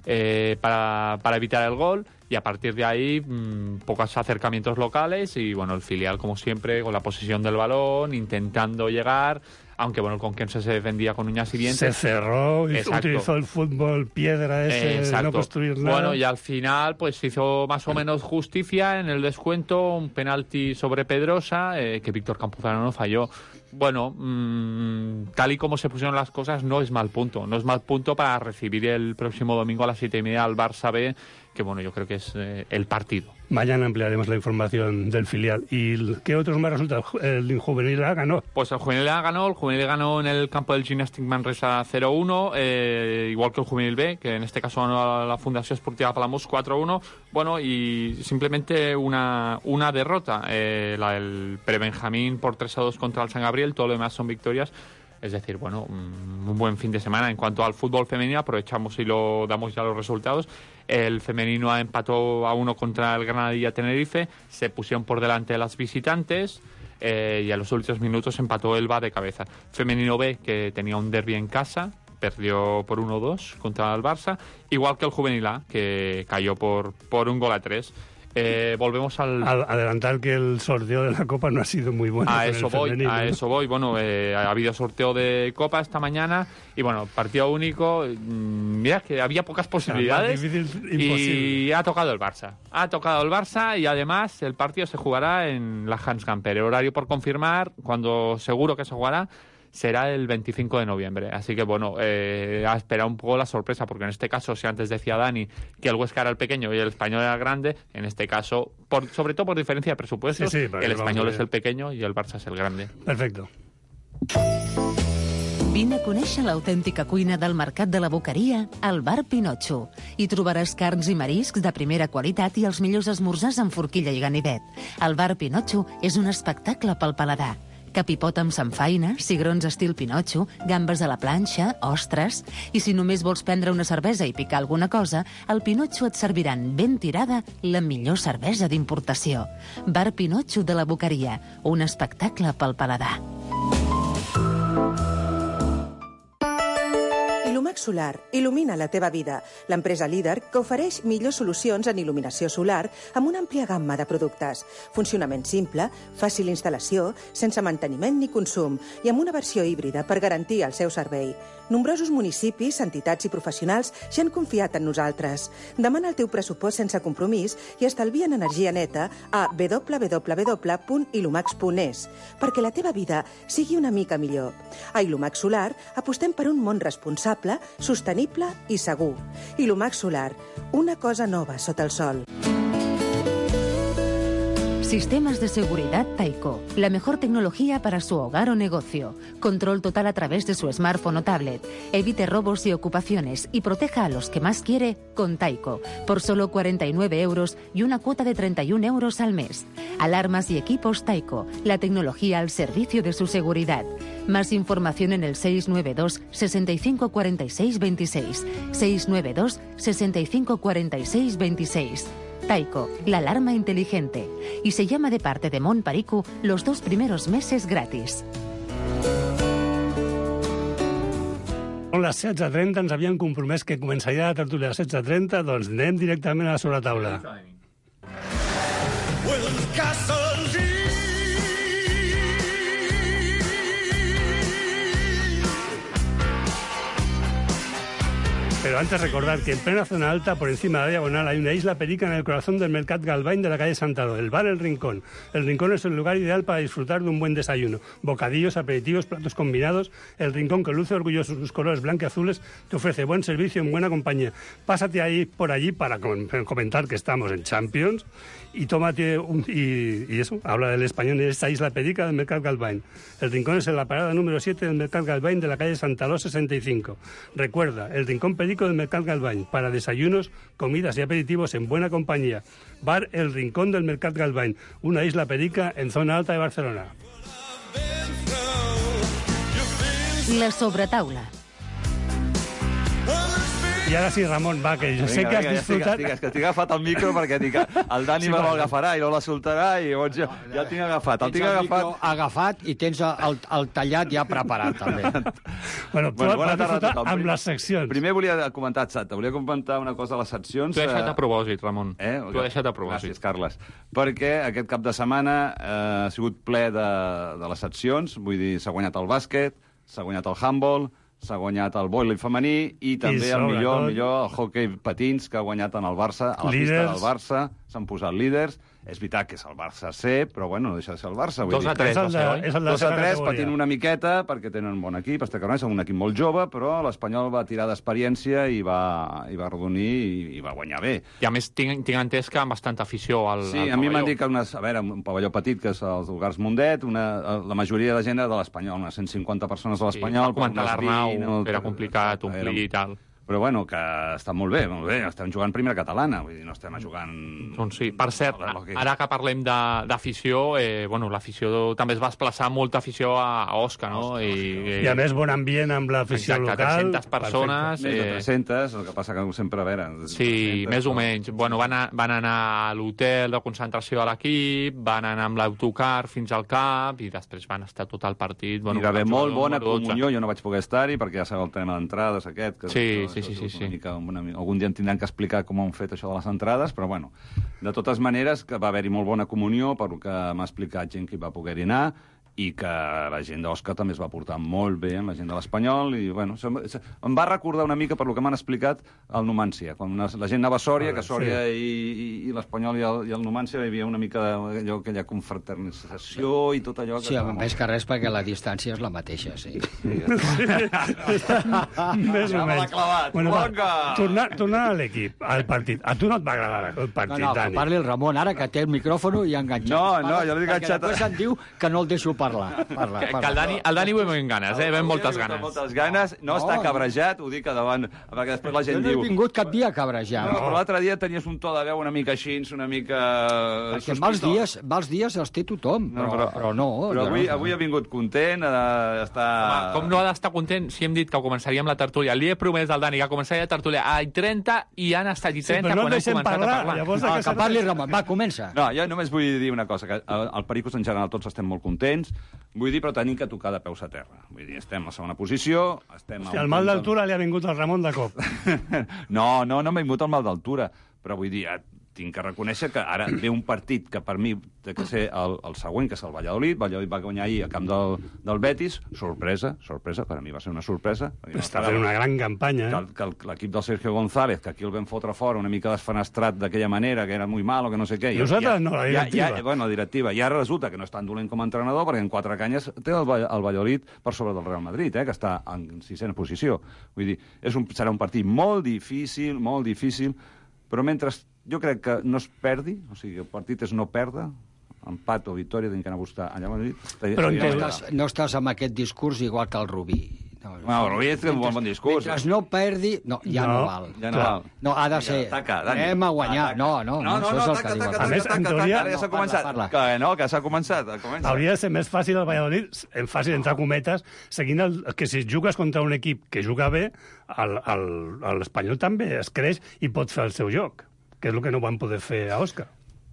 eh, para, para evitar el gol. Y a partir de ahí, mmm, pocos acercamientos locales y, bueno, el filial, como siempre, con la posesión del balón, intentando llegar, aunque, bueno, el Conquense se defendía con uñas y dientes. Se cerró, y utilizó el fútbol piedra ese, Exacto. no construir nada. Bueno, y al final, pues hizo más o menos justicia en el descuento, un penalti sobre Pedrosa, eh, que Víctor Campuzano no falló. Bueno, mmm, tal y como se pusieron las cosas, no es mal punto. No es mal punto para recibir el próximo domingo a las siete y media al Barça B, que bueno, yo creo que es eh, el partido. Mañana ampliaremos la información del filial. ¿Y qué otros más resultados? ¿El juvenil A ganó? Pues el juvenil A ganó, el juvenil ganó en el campo del Gimnàstic Manresa cero uno, eh, igual que el juvenil B, que en este caso ganó la Fundación Esportiva Palamós cuatro uno. Bueno, y simplemente una, una derrota, eh, la del Prebenjamín por tres a dos contra el San Gabriel, todo lo demás son victorias. Es decir, bueno, un buen fin de semana. En cuanto al fútbol femenino, aprovechamos y lo damos ya los resultados. El femenino empató a uno contra el Granadilla Tenerife, se pusieron por delante las visitantes eh, y a los últimos minutos empató Elba de cabeza. Femenino B, que tenía un derbi en casa, perdió por uno dos contra el Barça, igual que el juvenil A, que cayó por, por un gol a tres. Eh, volvemos al... Adelantar que el sorteo de la Copa no ha sido muy bueno. A eso voy, femenino, a ¿no? eso voy. Bueno, eh, ha habido sorteo de Copa esta mañana y bueno, partido único. Mira que había pocas posibilidades difícil, y ha tocado el Barça. Ha tocado el Barça y además el partido se jugará en la Hans Gamper. El horario por confirmar, cuando seguro que se jugará, será el veinticinco de noviembre. Así que, bueno, eh, a esperar un poco la sorpresa, porque en este caso, si antes decía Dani que el Huesca era el pequeño y el Español era el grande, en este caso, por, sobre todo por diferencia de presupuestos, sí, sí, el Español es el pequeño y el Barça és el grande. Perfecto. Vine a conèixer l'autèntica cuina del Mercat de la Boqueria al Bar Pinotxo. Hi trobaràs carns i mariscs de primera qualitat i els millors esmorzars amb forquilla i ganivet. El Bar Pinotxo és un espectacle pel paladar. Capipot amb samfaina, cigrons estil Pinotxo, gambes a la planxa, ostres... I si només vols prendre una cervesa i picar alguna cosa, al Pinotxo et serviran ben tirada la millor cervesa d'importació. Bar Pinotxo de la Boqueria, un espectacle pel paladar. Ilumax Solar il·lumina la teva vida. L'empresa líder que ofereix millors solucions en il·luminació solar amb una àmplia gamma de productes. Funcionament simple, fàcil instal·lació, sense manteniment ni consum i amb una versió híbrida per garantir el seu servei. Nombrosos municipis, entitats i professionals ja han confiat en nosaltres. Demana el teu pressupost sense compromís i estalvia en energia neta a w w w punt ilumax punt es perquè la teva vida sigui una mica millor. A Ilumax Solar apostem per un món responsable, sostenible i segur. Ilumax Solar, una cosa nova sota el sol. Sistemas de seguridad Taiko, la mejor tecnología para su hogar o negocio. Control total a través de su smartphone o tablet. Evite robos y ocupaciones y proteja a los que más quiere con Taiko, por solo cuarenta y nueve euros y una cuota de treinta y un euros al mes. Alarmas y equipos Taiko, la tecnología al servicio de su seguridad. Más información en el seis nueve dos, sesenta y cinco, cuarenta y seis, veintiséis. seis nueve dos, sesenta y cinco, cuarenta y seis, veintiséis. Taiko, la alarma inteligente. Y se llama de parte de Mon Pariku los dos primeros meses gratis. Són les setze trenta, ens havien compromès que començaria la tertúlia a les setze trenta, doncs anem directament a la sobretaula. Pero antes recordar que en plena zona alta, por encima de la diagonal, hay una isla perica en el corazón del Mercat Galvany de la calle Santado, el bar El Rincón. El Rincón es el lugar ideal para disfrutar de un buen desayuno. Bocadillos, aperitivos, platos combinados. El Rincón, que luce orgulloso sus colores blanco y azules, te ofrece buen servicio en buena compañía. Pásate ahí por allí para comentar que estamos en Champions y tómate un, y, y eso, habla del español de esta isla perica del Mercat Galvany. El Rincón es en la parada número siete del Mercat Galvany de la calle Santaló sesenta y cinco. Recuerda, el Rincón perico del Mercat Galvany para desayunos, comidas y aperitivos en buena compañía. Bar El Rincón del Mercat Galvany, una isla perica en zona alta de Barcelona. La sobretaula. I ara sí, Ramon, va, que jo sé que has disfrutat... Digues, que estic agafat el micro perquè dic, el Dani me l'agafarà i no la soltarà i llavors jo ja el tinc agafat. El tinc agafat... agafat i tens el, el tallat ja preparat, també. Bueno, tu vas disfrutar amb les seccions. Primer volia comentar, Xata, volia comentar una cosa a les seccions. T'ho he deixat a propòsit, Ramon. Eh? T'ho he deixat a propòsit. Gràcies, Carles. Perquè aquest cap de setmana eh, ha sigut ple de, de les seccions, vull dir, s'ha guanyat el bàsquet, s'ha guanyat el handball, s'ha guanyat el vòlei femení i també I el millor, el millor el hoquei patins que ha guanyat en el Barça, a la líders. Pista del Barça, s'han posat líders. És veritat que és el Barça C, però bueno, no deixa de ser el Barça. Dos a tres, dos a tres, patint una miqueta, perquè tenen un bon equip. Este Carnés és un equip molt jove, però l'Espanyol va tirar d'experiència i va, i va arrodonir i, i va guanyar bé. I a més, tinc, tinc entès que amb bastanta afició al, sí, al a mi m'han dit que unes, a veure, un pavelló petit, que és els Vulgars Mundet, una, la majoria de gent era de l'Espanyol, unes cent cinquanta persones de l'Espanyol. Sí, va comentar l'Arnau, era complicat omplir i tal. Però bueno, que està molt bé, molt bé. Estem jugant primera catalana, vull dir, no estem jugant... Doncs sí, per cert, ara que parlem d'afició, eh, bueno, l'afició també es va desplaçar molta afició a Osca, no? I, I a més, bon ambient amb l'afició local. Exacte, tres-centes persones. Més de tres-centes, el que passa que sempre, a veure... Sí, més o menys. Bueno, van, a, van anar a l'hotel de concentració de l'equip, van anar amb l'autocar fins al camp i després van estar tot el partit. Bueno, I va haver molt bona comunió, jo no vaig poder estar-hi perquè ja sabeu el tema d'entrades aquest. Que sí, sí, sí, sí, sí. Mica, una, algun dia em tindran que explicar com han fet això de les entrades, però bueno, de totes maneres que va haver-hi molt bona comunió, per que m'ha explicat gent que hi va poder-hi anar, i que la gent d'Osca també es va portar molt bé amb la gent de l'Espanyol, i bueno, em va recordar una mica per lo que m'han explicat el Numància, quan la gent anava a Sòria, que Sòria sí. i, i, i l'Espanyol i el, i el Numància hi havia una mica allò, aquella confraternització i tot allò... Sí, home, més que res perquè la distància és la mateixa, sí. sí. Més o menys. Bueno, tornant tornar a l'equip, al partit. A tu no et va agradar el partit, no, no, Dani? No, parli el Ramon, ara que té el micròfon i ha enganxat. No, no, jo l'he enganxat... Perquè després em diu que no el deixo parlar. parla, que, parla. que el Dani, el Dani ho hem ganes, eh? Hem moltes ganes. Moltes ganes. No, no està cabrejat, ho dic a davant, perquè després la gent jo no diu... he vingut cap dia a cabrejar. No, però l'altre dia tenies un to de veu una mica així, una mica... Perquè mals dies, mals dies els té tothom, però no. Però, però no però avui, no. avui ha vingut content, eh, està... Home, com no ha d'estar content si hem dit que començaríem la tertúlia? Li he promès al Dani que començaria la tertúlia a trenta i han estat i trenta sí, no quan hem començat parlar, a parlar. Llavors, no, que, que parli Ramon, va, comença. No, jo només vull dir una cosa, que al Pericos en general tots estem molt contents, vull dir, però tenim que tocar de peus a terra. Vull dir, estem a la segona posició, estem... Hòstia, el mal d'altura li ha vingut al Ramon de cop. no, no, no m'ha vingut el mal d'altura, però vull dir, tinc que reconèixer que ara ve un partit que per mi té que ser el, el següent, que és el Valladolid. Valladolid va guanyar ahir a camp del, del Betis. Sorpresa, sorpresa, per a mi va ser una sorpresa. Està fent una gran campanya. Que, que l'equip del Sergio González, que aquí el vam fotre fora una mica desfenestrat d'aquella manera, que era muy malo, que no sé què. Nosaltres ja, no, la directiva. Ja, ja, bueno, la directiva. I ara resulta que no és tan dolent com a entrenador, perquè en quatre canyes té el, el Valladolid per sobre del Real Madrid, eh, que està en sisena posició. Vull dir, és un, serà un partit molt difícil, molt difícil, però mentre jo crec que no es perdi, o sigui, el partit és no perdre, empat o victòria, tinc que anar a buscar allà a Madrid. Però no estàs, no estàs amb aquest discurs igual que el Rubí. No, no, el Rubí és un bon, bon discurs. Mentre no perdi, no, ja no, no val. Ja no val. No, ha de ser, taca, Dani, anem a guanyar. taca. No, no, no, no, no, això no, és el taca, que diu. taca, A més, taca, en taca, teoria... Ara ja s'ha començat. Parla, Que no, que s'ha començat. Comença. Hauria de ser més fàcil el Valladolid, en fàcil, entre cometes, seguint el, que si jugues contra un equip que juga bé, l'Espanyol també es creix i pot fer el seu joc, que és el que no van poder fer a Òscar.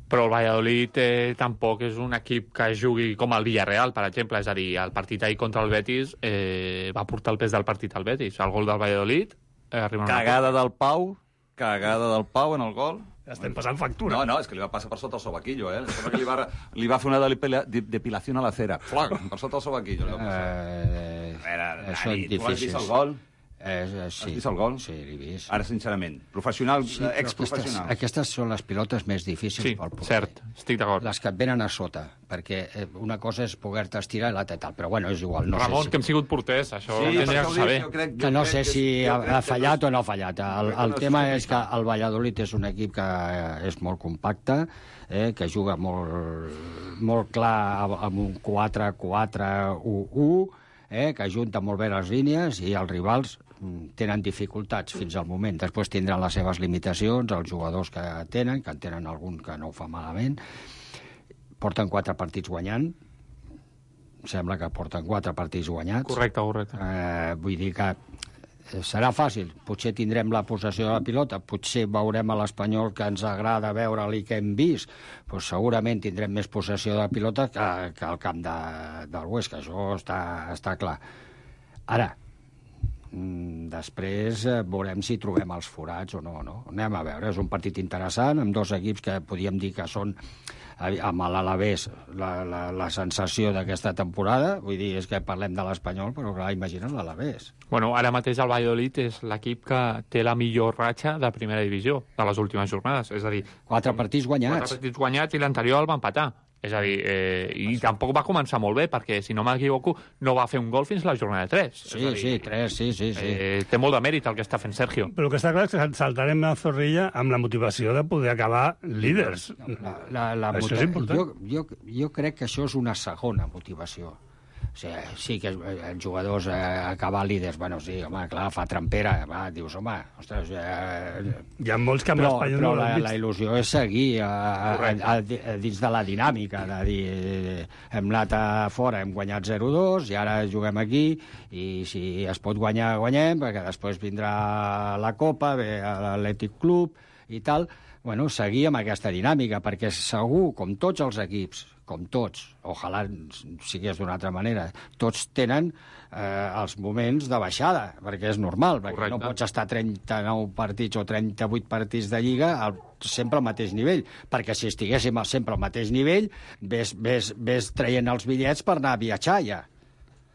Però el Valladolid eh, tampoc és un equip que jugui com el Villarreal, per exemple. És a dir, el partit ahir contra el Betis eh, va portar el pes del partit al Betis. El gol del Valladolid... Eh, cagada del Pau, cagada del Pau en el gol. Estem passant factura. No, no, és que li va passar per sota el sobaquillo, eh? Sembla que li va, li va fer una depila, depilació a la cera. Flac, per sota el sobaquillo. Eh, a veure, això és difícil. Tu has vist el gol? Eh, sí. Has vist el gol? Sí, l'he vist. Ara, sincerament, professional, sí, exprofessional. Aquestes, aquestes són les pilotes més difícils sí, pel porter. Cert, estic d'acord. Les que et venen a sota, perquè una cosa és poder-te estirar i l'altra i tal, però bueno, és igual. No Ramon, sé si... que hem sigut porters, això sí, ho tindria que saber. Jo crec, jo que no crec sé que si és, ha, ha fallat que... o no ha fallat. El, el no tema és que el Valladolid és un equip que és molt compacte, eh, que juga molt, molt clar amb un quatre quatre u u, eh, que ajunta molt bé les línies i els rivals tenen dificultats fins al moment. Després tindran les seves limitacions, els jugadors que tenen, que en tenen algun que no ho fa malament. Porten quatre partits guanyant. Sembla que porten quatre partits guanyats. Correcte, correcte. Eh, vull dir que serà fàcil. Potser tindrem la possessió de la pilota, potser veurem a l'Espanyol que ens agrada veure-li que hem vist, pues segurament tindrem més possessió de la pilota que, que al camp de, del Huesca. Això està, està clar. Ara, després veurem si trobem els forats o no, no. Anem a veure, és un partit interessant amb dos equips que podíem dir que són amb l'Alavés la, la, la sensació d'aquesta temporada. Vull dir, és que parlem de l'Espanyol, però clar, imagina't l'Alavés. Bueno, ara mateix el Valladolid és l'equip que té la millor ratxa de primera divisió de les últimes jornades, és a dir... Quatre partits guanyats. Quatre partits guanyats i l'anterior el va empatar. És a dir, eh, i tampoc va començar molt bé, perquè, si no m'equivoco, no va fer un gol fins a la jornada tres. Sí, dir, sí, tres, sí, sí. sí. Eh, té molt de mèrit el que està fent Sergio. Però el que està clar és que saltarem la zorrilla amb la motivació de poder acabar líders. La, la, la això és important. Jo, jo, jo crec que això és una segona motivació. O sigui, sí que els jugadors eh, acabar líders, bueno, sí, home, clar, fa trampera, va, dius, home, ostres... Eh, Hi ha molts que amb però, l'Espanyol però no la, la il·lusió és seguir a, a, a, a, dins de la dinàmica, de dir, eh, hem anat a fora, hem guanyat zero dos, i ara juguem aquí, i si es pot guanyar, guanyem, perquè després vindrà la Copa, ve l'Atlètic Club i tal, bueno, seguir amb aquesta dinàmica, perquè segur, com tots els equips, com tots, ojalà sigués d'una altra manera, tots tenen eh, els moments de baixada, perquè és normal, perquè Correcte. No pots estar trenta-nou partits o trenta-vuit partits de Lliga al, sempre al mateix nivell, perquè si estiguéssim sempre al mateix nivell, ves, ves, ves traient els bitllets per anar a viatjar ja.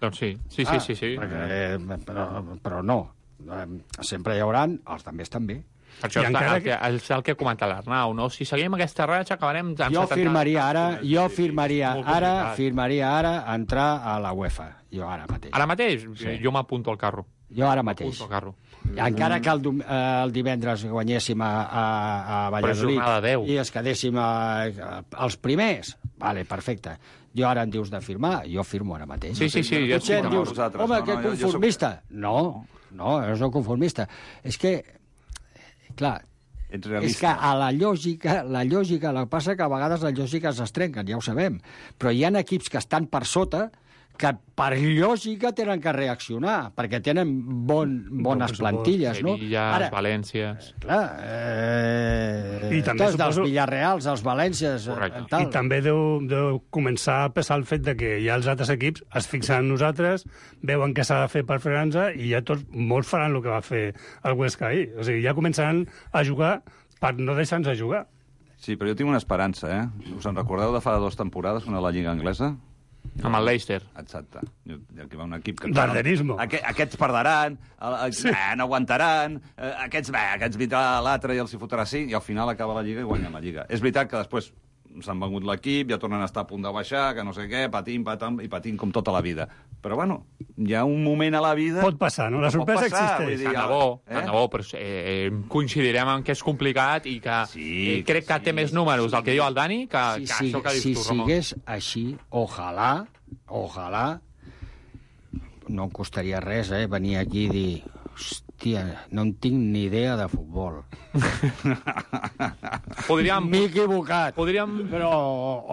Doncs sí, sí, ah, sí, sí. sí. Perquè, eh, però, però no, eh, sempre hi haurà els també estan bé. Això és el, que, és el que comenta l'Arnau, no? Si seguim aquesta ratxa acabarem... Jo firmaria ara, jo firmaria ara, firmaria ara entrar a la UEFA, jo ara mateix. Ara mateix? Sí. Jo m'apunto al carro. Jo ara mateix. Al carro. Encara que el, el divendres guanyéssim a, a, a Valladolid i es quedéssim a, a, als primers, vale, perfecte. Jo ara em dius de firmar, jo firmo ara mateix. Sí, sí, sí. No, potser em dius, home, que conformista. No, no, no soc conformista. És que clar, és que a la lògica, la lògica, el que passa que a vegades les lògiques es trenquen, ja ho sabem, però hi ha equips que estan per sota que per lògica tenen que reaccionar, perquè tenen bon, bones plantilles, no? Sevillas, Valències... Clar, eh, I també tots suposo... dels Villarreals, els Valències... Eh, tal. I també deu, deu començar a pesar el fet de que ja els altres equips es fixen en nosaltres, veuen què s'ha de fer per frenar-nos i ja tots, molts faran el que va fer el Huesca ahir. O sigui, ja començaran a jugar per no deixar-nos a jugar. Sí, però jo tinc una esperança, eh? Us en recordeu de fa dues temporades, una de la Lliga Anglesa? Amb el Leicester. Exacte. Aquí va un equip que... Darderismo. Aqu aquests perdran, sí. eh, no aguantaran, eh, aquests, bé, aquests vindrà l'altre i els hi fotrà cinc, i al final acaba la Lliga i guanyen la Lliga. És veritat que després s'han vengut l'equip, ja tornen a estar a punt de baixar, que no sé què, patim, patam, i patim com tota la vida. Però, bueno, hi ha un moment a la vida... Pot passar, no? La sorpresa existeix. Tant de bo, tant de bo, però eh, coincidirem en que és complicat i que sí, eh, crec que sí, té més números del que diu el Dani que, si, que això que dius si tu, Ramon. Si sigués així, ojalà, ojalà, no em costaria res, eh, venir aquí i dir... Hòstia, no en tinc ni idea de futbol. Podríem... M'he equivocat. Podríem... Però,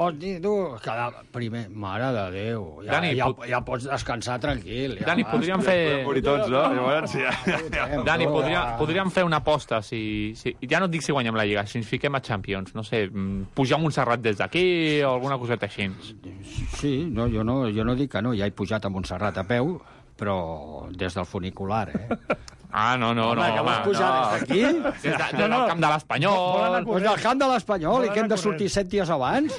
hosti, tu, cada... primer, mare de Déu, ja, Dani, ja, pot... ja pots descansar tranquil. Ja Dani, vas, podríem fer... Morir tots, no? Llavors, ja... Dani, podríem, podríem fer una aposta, si, si... ja no et dic si guanyem la Lliga, si ens fiquem a Champions, no sé, pujar a Montserrat des d'aquí o alguna coseta així. Sí, no, jo, no, jo no dic que no, ja he pujat a Montserrat a peu, però des del funicular, eh? Ah, no, no, home, no. Que vols pujar no. des d'aquí? Des, de, des del camp de l'Espanyol. Pues del camp de l'Espanyol, i que hem de sortir set dies abans?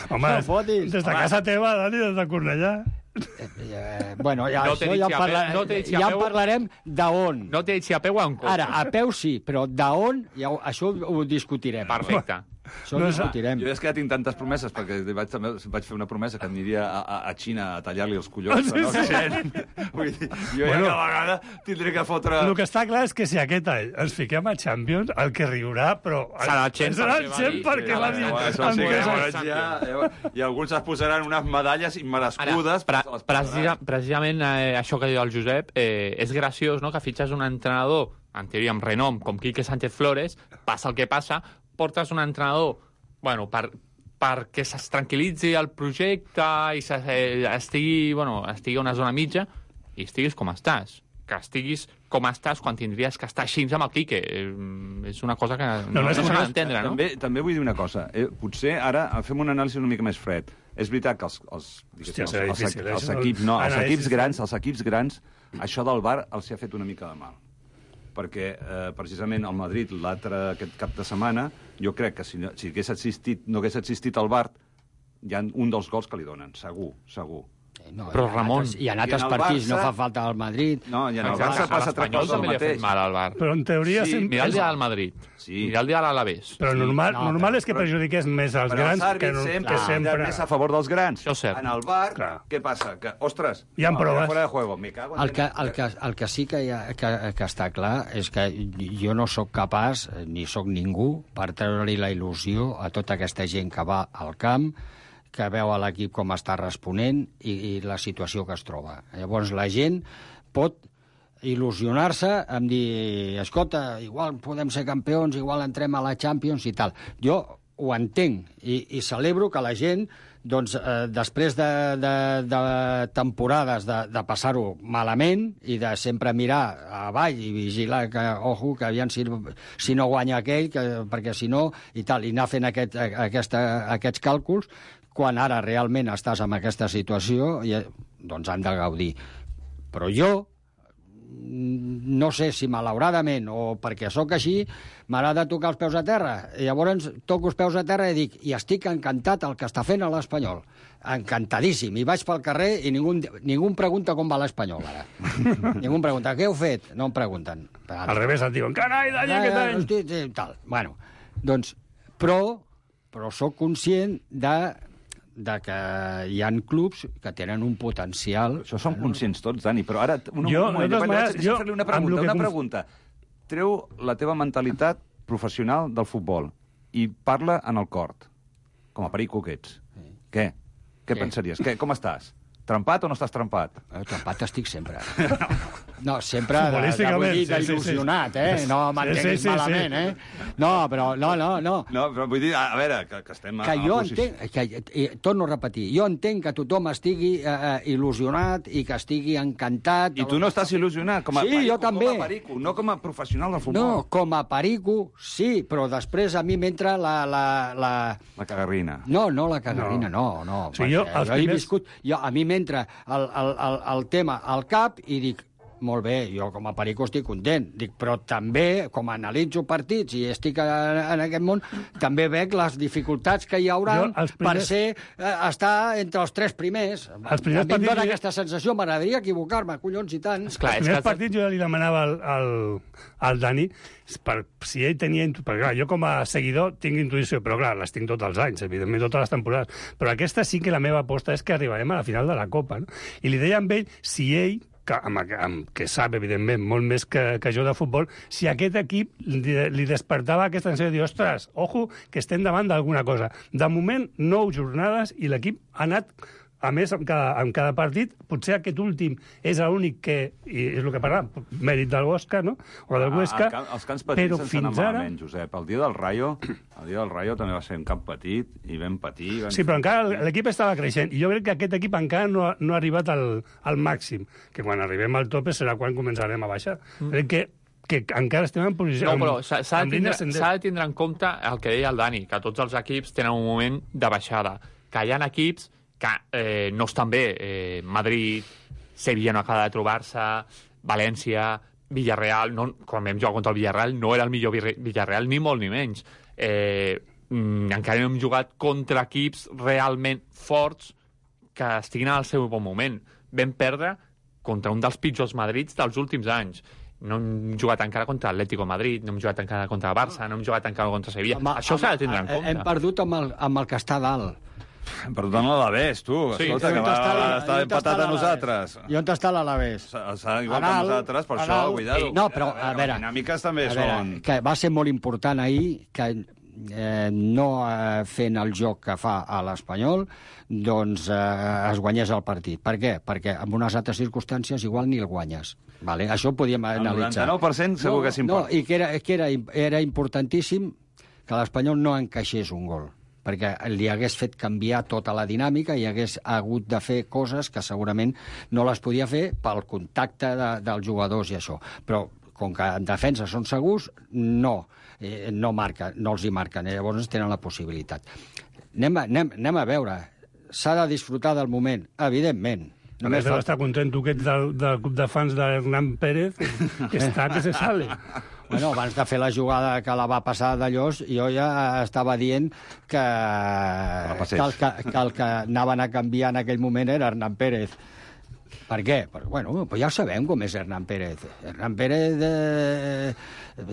Home, no des de home. Casa teva, Dani, des de Cornellà. Eh, bueno, ja, no això ja, en, parla... no ja en parlarem d'on. No t'he dit si a peu o en cotxe. Ara, a peu sí, però d'on, ja, això ho discutirem. Perfecte. Això ho discutirem. Jo és que ja tinc tantes promeses, perquè vaig, també vaig fer una promesa que aniria a, a, a Xina a tallar-li els collons. Sí, no? sí. Vull dir, jo bueno, ja cada vegada tindré que fotre... El que està clar és que si aquest any ens fiquem a Champions, el que riurà, però... Serà el Chen, serà el Chen perquè va dir... Això sí que llavors ja... I alguns es posaran unes medalles immerescudes. Ara, pre precisa, precisament eh, això que diu el Josep, eh, és graciós, no?, que fitxes un entrenador, en teoria amb renom, com Quique Sánchez Flores, passa el que passa, portes un entrenador, bueno, per, perquè es tranquil·litzi el projecte i se, eh, estigui, bueno, estigui a una zona mitja i estiguis com estàs. Que estiguis com estàs quan tindries que estar així amb el Quique. Eh, és una cosa que no, no, no s'ha d'entendre, no? També, també vull dir una cosa. Eh, potser ara fem una anàlisi una mica més fred. És veritat que els, els, Hòstia, els, els, els, els equips, no, els equips grans, els equips grans, això del V A R els ha fet una mica de mal. Perquè, eh, precisament, el Madrid, l'altre aquest cap de setmana, jo crec que si, si hagués existit, no hagués existit el V A R, hi ha un dels gols que li donen, segur, segur. No, però, Ramon... I en altres partits no fa falta al Madrid. No, i en el Barça passa altra cosa el mateix. Mal al Bar. Però en teoria... Sí, sempre... mira el dia del Madrid. Sí. Mira el dia de l'Alavés. Però sí. normal, no, normal però, és que però, perjudiqués més als grans que, no, sempre, que sempre... més a favor dels grans. Això és cert. En el V A R, Clar. què passa? Que, ostres, hi ha no, proves. Fora de juego, me cago en El que, el, que, el que sí que, ha, que, que està clar és que jo no sóc capaç, ni sóc ningú, per treure-li la il·lusió a tota aquesta gent que va al camp, que veu a l'equip com està responent i, i la situació que es troba. Llavors la gent pot il·lusionar-se amb dir, escolta, igual podem ser campions, igual entrem a la Champions i tal. Jo ho entenc i, i celebro que la gent, doncs, eh, després de, de, de temporades de, de passar-ho malament i de sempre mirar avall i vigilar que, ojo, que aviam si, si no guanya aquell, que, perquè si no, i tal, i anar fent aquest, aquesta, aquests càlculs, quan ara realment estàs en aquesta situació, i, doncs han de gaudir. Però jo, no sé si malauradament o perquè sóc així, m'agrada tocar els peus a terra. I llavors toco els peus a terra i dic, i estic encantat el que està fent a l'Espanyol. Encantadíssim. I vaig pel carrer i ningú, ningú em pregunta com va l'Espanyol, ara. Ningú em pregunta, què heu fet? No em pregunten. Al revés, et diuen, carai, Dani, aquest any! Hosti, tal. Bueno, doncs, però, però sóc conscient de de que hi ha clubs que tenen un potencial... Això som conscients tots, Dani, però ara... Un, jo, un moment, de maneres, deixa'm jo, fer-li una pregunta, una pregunta. Treu la teva mentalitat professional del futbol i parla en el cort, com a perico que ets. Sí. Què? Què Què? pensaries? Què? Com estàs? Trempat o no estàs trempat? Eh, trempat estic sempre. No, sempre de, de, vull dir, d'il·lusionat, sí, sí, sí. eh? No m'entenguis sí, sí, sí, malament, sí. eh? No, però, no, no, no. No, però vull dir, a veure, que, que estem... Que a, jo a entenc, que, eh, torno a repetir, jo entenc que tothom estigui eh, il·lusionat i que estigui encantat... I tu no estàs il·lusionat com a sí, perico, jo també. com a perico, no com a professional del futbol. No, com a perico, sí, però després a mi m'entra la, la, la... La cagarrina. No, no la cagarrina, no, no. no sí, jo, jo primers... he viscut... Jo, a mi m'entra el, el, el, el tema al cap i dic, molt bé, jo com a perico estic content. Dic, però també, com analitzo partits i estic en, en aquest món, també veig les dificultats que hi haurà primers... per ser, eh, estar entre els tres primers. Els primers a mi partits... em dona aquesta sensació, m'agradaria equivocar-me, collons, i tant. Esclar, els primers que... partits jo ja li demanava al, al, al Dani per, si ell tenia... Perquè, clar, jo com a seguidor tinc intuïció, però clar, les tinc tots els anys, evidentment, totes les temporades. Però aquesta sí que la meva aposta és que arribarem a la final de la Copa, no? I li deia amb ell, si ell que, amb, amb, que sap, evidentment, molt més que, que jo de futbol, si aquest equip li, li despertava aquesta sensació de dir, ostres, ojo, que estem davant d'alguna cosa. De moment, nou jornades i l'equip ha anat, a més, en cada, en cada partit, potser aquest últim és l'únic que, i és el que parlàvem, mèrit del Oscar, no?, o del Huesca, ah, els camps petits però sense fins anar ara... malament, Josep. El dia del Rayo, el dia del Rayo també va ser un camp petit, i ben petit... Ben... Sí, però encara l'equip estava creixent, i jo crec que aquest equip encara no ha, no ha arribat al, al màxim, que quan arribem al tope serà quan començarem a baixar. Mm. Crec que que encara estem en posició... No, però s'ha de, tindre, de tindre en compte el que deia el Dani, que tots els equips tenen un moment de baixada, que hi ha equips que eh, no estan bé. Eh, Madrid, Sevilla no acaba de trobar-se, València, Villarreal, no, quan vam jugar contra el Villarreal, no era el millor Villarreal, ni molt ni menys. Eh, mm, encara no hem jugat contra equips realment forts que estiguin al seu bon moment. Vam perdre contra un dels pitjors Madrids dels últims anys. No hem jugat encara contra l'Atlético Madrid, no hem jugat encara contra el Barça, no hem jugat encara contra Sevilla. Amb, Això s'ha de tindre en compte. Hem perdut amb el, amb el que està dalt. Per tant, l'Alavés, tu. Sí. Escolta, que va, va estar empatat a nosaltres. I on està l'Alavés? Està igual que nosaltres, per això, cuidado. No, però, a veure... Les dinàmiques també són... Que va ser molt important ahir que eh, no eh, fent el joc que fa a l'Espanyol, doncs eh, es guanyés el partit. Per què? Perquè en unes altres circumstàncies igual ni el guanyes. Vale? Això ho podíem analitzar. El noranta-nou per cent segur no, que s'importa. No, i que, era, que era, era importantíssim que l'Espanyol no encaixés un gol, perquè li hagués fet canviar tota la dinàmica i hagués hagut de fer coses que segurament no les podia fer pel contacte de, dels jugadors i això. Però com que en defensa són segurs, no, eh, no, marca, no els hi marquen, eh, llavors tenen la possibilitat. Anem a, anem, anem a veure, s'ha de disfrutar del moment, evidentment. Només deu estar content tu que ets del, del club de fans d'Hernán Pérez, que està que se sale. Bueno, abans de fer la jugada que la va passar de Llos, jo ja estava dient que, que, el, que, que el que anaven a canviar en aquell moment era Hernán Pérez. Per què? Perquè, bueno, pues ja ho sabem com és Hernán Pérez. Hernán Pérez, eh,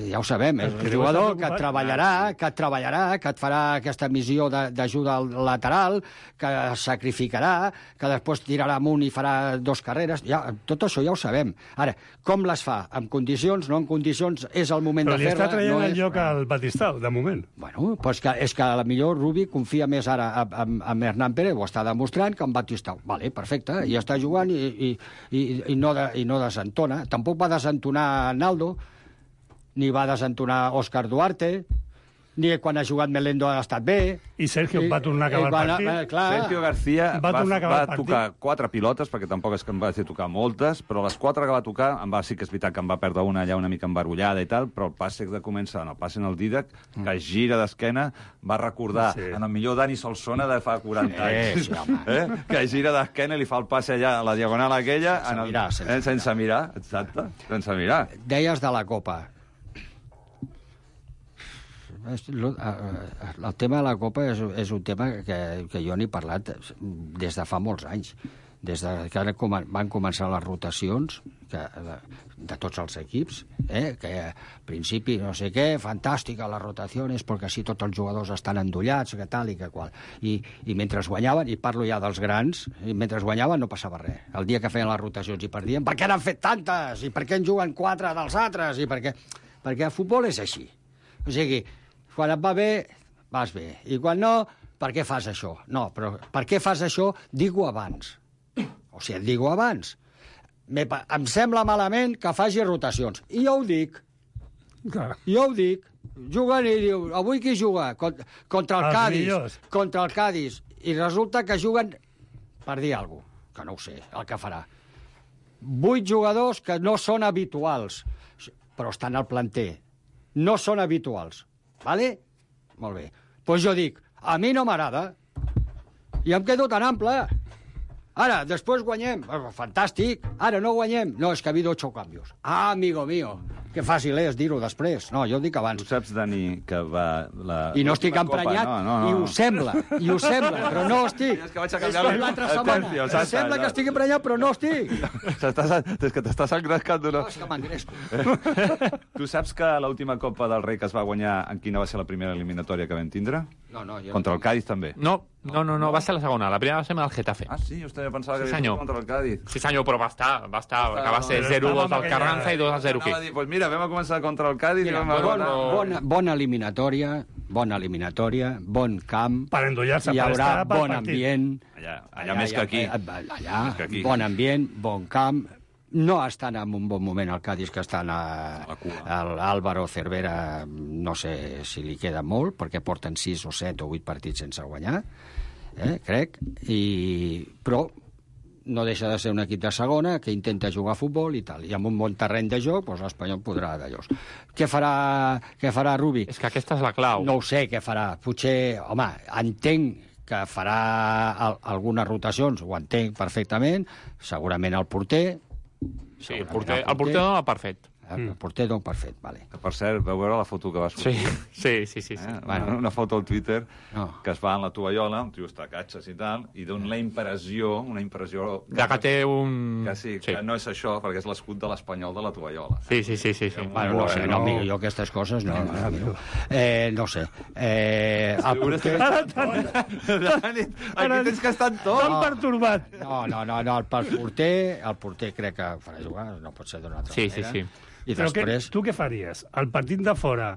ja ho sabem, és un jugador que treballarà, que treballarà, que et farà aquesta missió d'ajuda lateral, que es sacrificarà, que després tirarà amunt i farà dos carreres. Ja, tot això ja ho sabem. Ara, com les fa? En condicions, no en condicions, és el moment Però de fer-la. Però li està traient no el és... lloc al Batistau, de moment. Bueno, pues que, és que a la millor Rubi confia més ara en, en Hernán Pérez, ho està demostrant, que en Batistau. Vale, perfecte, i està jugant i I, i, i, no de, i no desentona. Tampoc va desentonar Naldo, ni va desentonar Òscar Duarte, ni quan ha jugat Melendo ha estat bé. I Sergio I, va tornar a acabar el partit. Eh, clar, Sergio García va, va, a va tocar quatre pilotes, perquè tampoc és que em va fer tocar moltes, però les quatre que va tocar, em va, sí que és veritat que em va perdre una allà una mica embarullada i tal, però el passe de començar, no, el passe en el Dídac, que es gira d'esquena, va recordar sí. en el millor Dani Solsona de fa quaranta anys. Sí, sí, eh? Que gira d'esquena i li fa el passe allà a la diagonal aquella, sense, en el, mirar, sense, eh, sense mirar, exacte, sense mirar. Deies de la Copa. El tema de la Copa és, és un tema que, que jo n'he parlat des de fa molts anys. Des de que ara van començar les rotacions que, de, de tots els equips, eh? Que al principi no sé què, fantàstica les rotacions, perquè així tots els jugadors estan endollats, que tal i que qual. I, i mentre guanyaven, i parlo ja dels grans, i mentre guanyaven no passava res. El dia que feien les rotacions i perdien, per què n'han fet tantes? I per què en juguen quatre dels altres? I per què? Perquè el futbol és així. O sigui, quan et va bé, vas bé. I quan no, per què fas això? No, però per què fas això? Digue-ho abans. O sigui, et digue-ho abans. Me, em sembla malament que faci rotacions. I jo ho dic. Clar. Jo ho dic. Juguen i diu, avui qui juga? Contra, contra el Els Cádiz. Millors. Contra el Cádiz. I resulta que juguen, per dir alguna cosa, que no ho sé, el que farà. Vuit jugadors que no són habituals, però estan al planter. No són habituals. Vale? Molt bé. Doncs pues jo dic, a mi no m'agrada. I em quedo tan ample. Ara, després guanyem. Fantàstic. Ara no guanyem. No, és que ha habido ocho cambios. Ah, amigo mío. Que fàcil és dir-ho després. No, jo ho dic abans. Tu saps, Dani, que va... La... I no estic emprenyat, no, no, no. I ho sembla, i ho sembla, però no estic. És que vaig a canviar és l'altra setmana. Tercio, em sembla que estic emprenyat, però no estic. És que t'estàs engrescant d'una... No, és que m'engresco. Tu saps que l'última Copa del Rei que es va guanyar, en quina va ser la primera eliminatòria que vam tindre? No, no, jo Contra el Cádiz, també. No, no, no, no, va ser la segona. La primera va ser amb el Getafe. Ah, sí? Jo pensava que sí, havia contra el Cádiz. Sí, senyor, però va estar, va estar, que va ser zero dos al Carranza i dos a zero aquí. Doncs mira, vam començar contra el Cádiz i vam... Bona, bona, bona eliminatòria, bona eliminatòria, bon camp. Per endollar-se, hi per haurà estar pel bon partit. ambient. Allà, allà més que aquí. Allà, allà bon ambient, bon camp. No estan en un bon moment el Cádiz, que estan a, a l'Álvaro Cervera, no sé si li queda molt, perquè porten sis o set o vuit partits sense guanyar, eh, crec, i... però no deixa de ser un equip de segona que intenta jugar a futbol i tal, i amb un bon terreny de joc, doncs l'Espanyol podrà d'allò. Què farà, què farà Rubi? És que aquesta és la clau. No ho sé què farà. Potser, home, entenc que farà al, algunes rotacions, ho entenc perfectament, segurament el porter. Sí, el porter, el porter no va perfect. El porter no perfect, vale. Que, per cert, vau veure la foto que va sortir? Sí, sí, sí. sí, sí. Eh? Bueno. Una foto al Twitter no. que es va en la tovallola, un tio està a catxes i tal, i dona la impressió, una impressió... De que té un... Que sí, que sí. No és això, perquè és l'escut de l'Espanyol de la tovallola. Sí, sí, sí. sí, sí. Bueno, no sé, no, no, jo aquestes coses no, no, no. Eh, no sé. Eh, el porter... Dani, aquí tens que estar en tot. Tan pertorbat. No, no, no, no, el porter, el porter crec que farà jugar, no pot ser d'una altra sí, manera. Sí, sí, sí. I Però després... que, tu què faries? Al partit de fora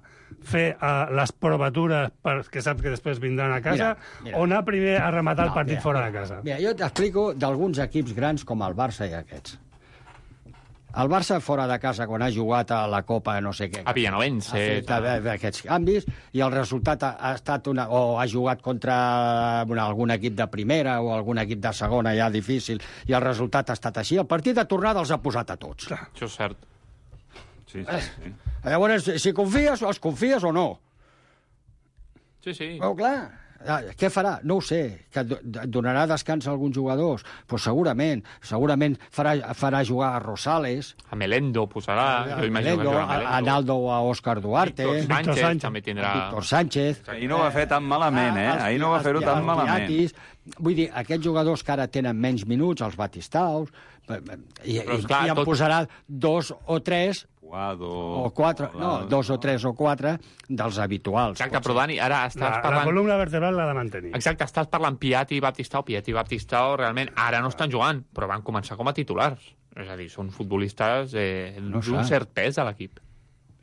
fer uh, les provatures perquè saps que després vindran a casa mira, mira. o anar primer a rematar no, el partit mira, fora mira, de casa? Mira, jo t'explico d'alguns equips grans com el Barça i aquests. El Barça fora de casa, quan ha jugat a la Copa no sé què... A Villanovense... Ha fet aquests canvis i el resultat ha, ha estat una... o ha jugat contra una, algun equip de primera o algun equip de segona ja difícil i el resultat ha estat així. El partit de tornada els ha posat a tots. Clar. Això és cert. Sí, sí, sí. Eh, llavors, si confies, els confies o no? Sí, sí. Oh, clar. Què farà? No ho sé. Que donarà descans a alguns jugadors? Pues segurament. Segurament farà, farà jugar a Rosales. A Melendo posarà. A, a Melendo, a, a Naldo o a Òscar Duarte. Víctor Sánchez, Víctor Sánchez també tindrà... Víctor Sánchez. Ahir no va fer tan malament, eh? Ahir no va fer-ho tan malament. Vull dir, aquests jugadors que ara tenen menys minuts, els Batistaus, i, i, clar, i en tot... posarà dos o tres... Guado, o quatre, no, dos o tres o quatre dels habituals. Exacte, però Dani, ara estàs la, parlant... La columna vertebral l'ha de mantenir. Exacte, estàs parlant Piatti i Baptistao. Piatti i Baptistao realment ara no estan jugant, però van començar com a titulars. És a dir, són futbolistes eh, no d'un cert pes a l'equip.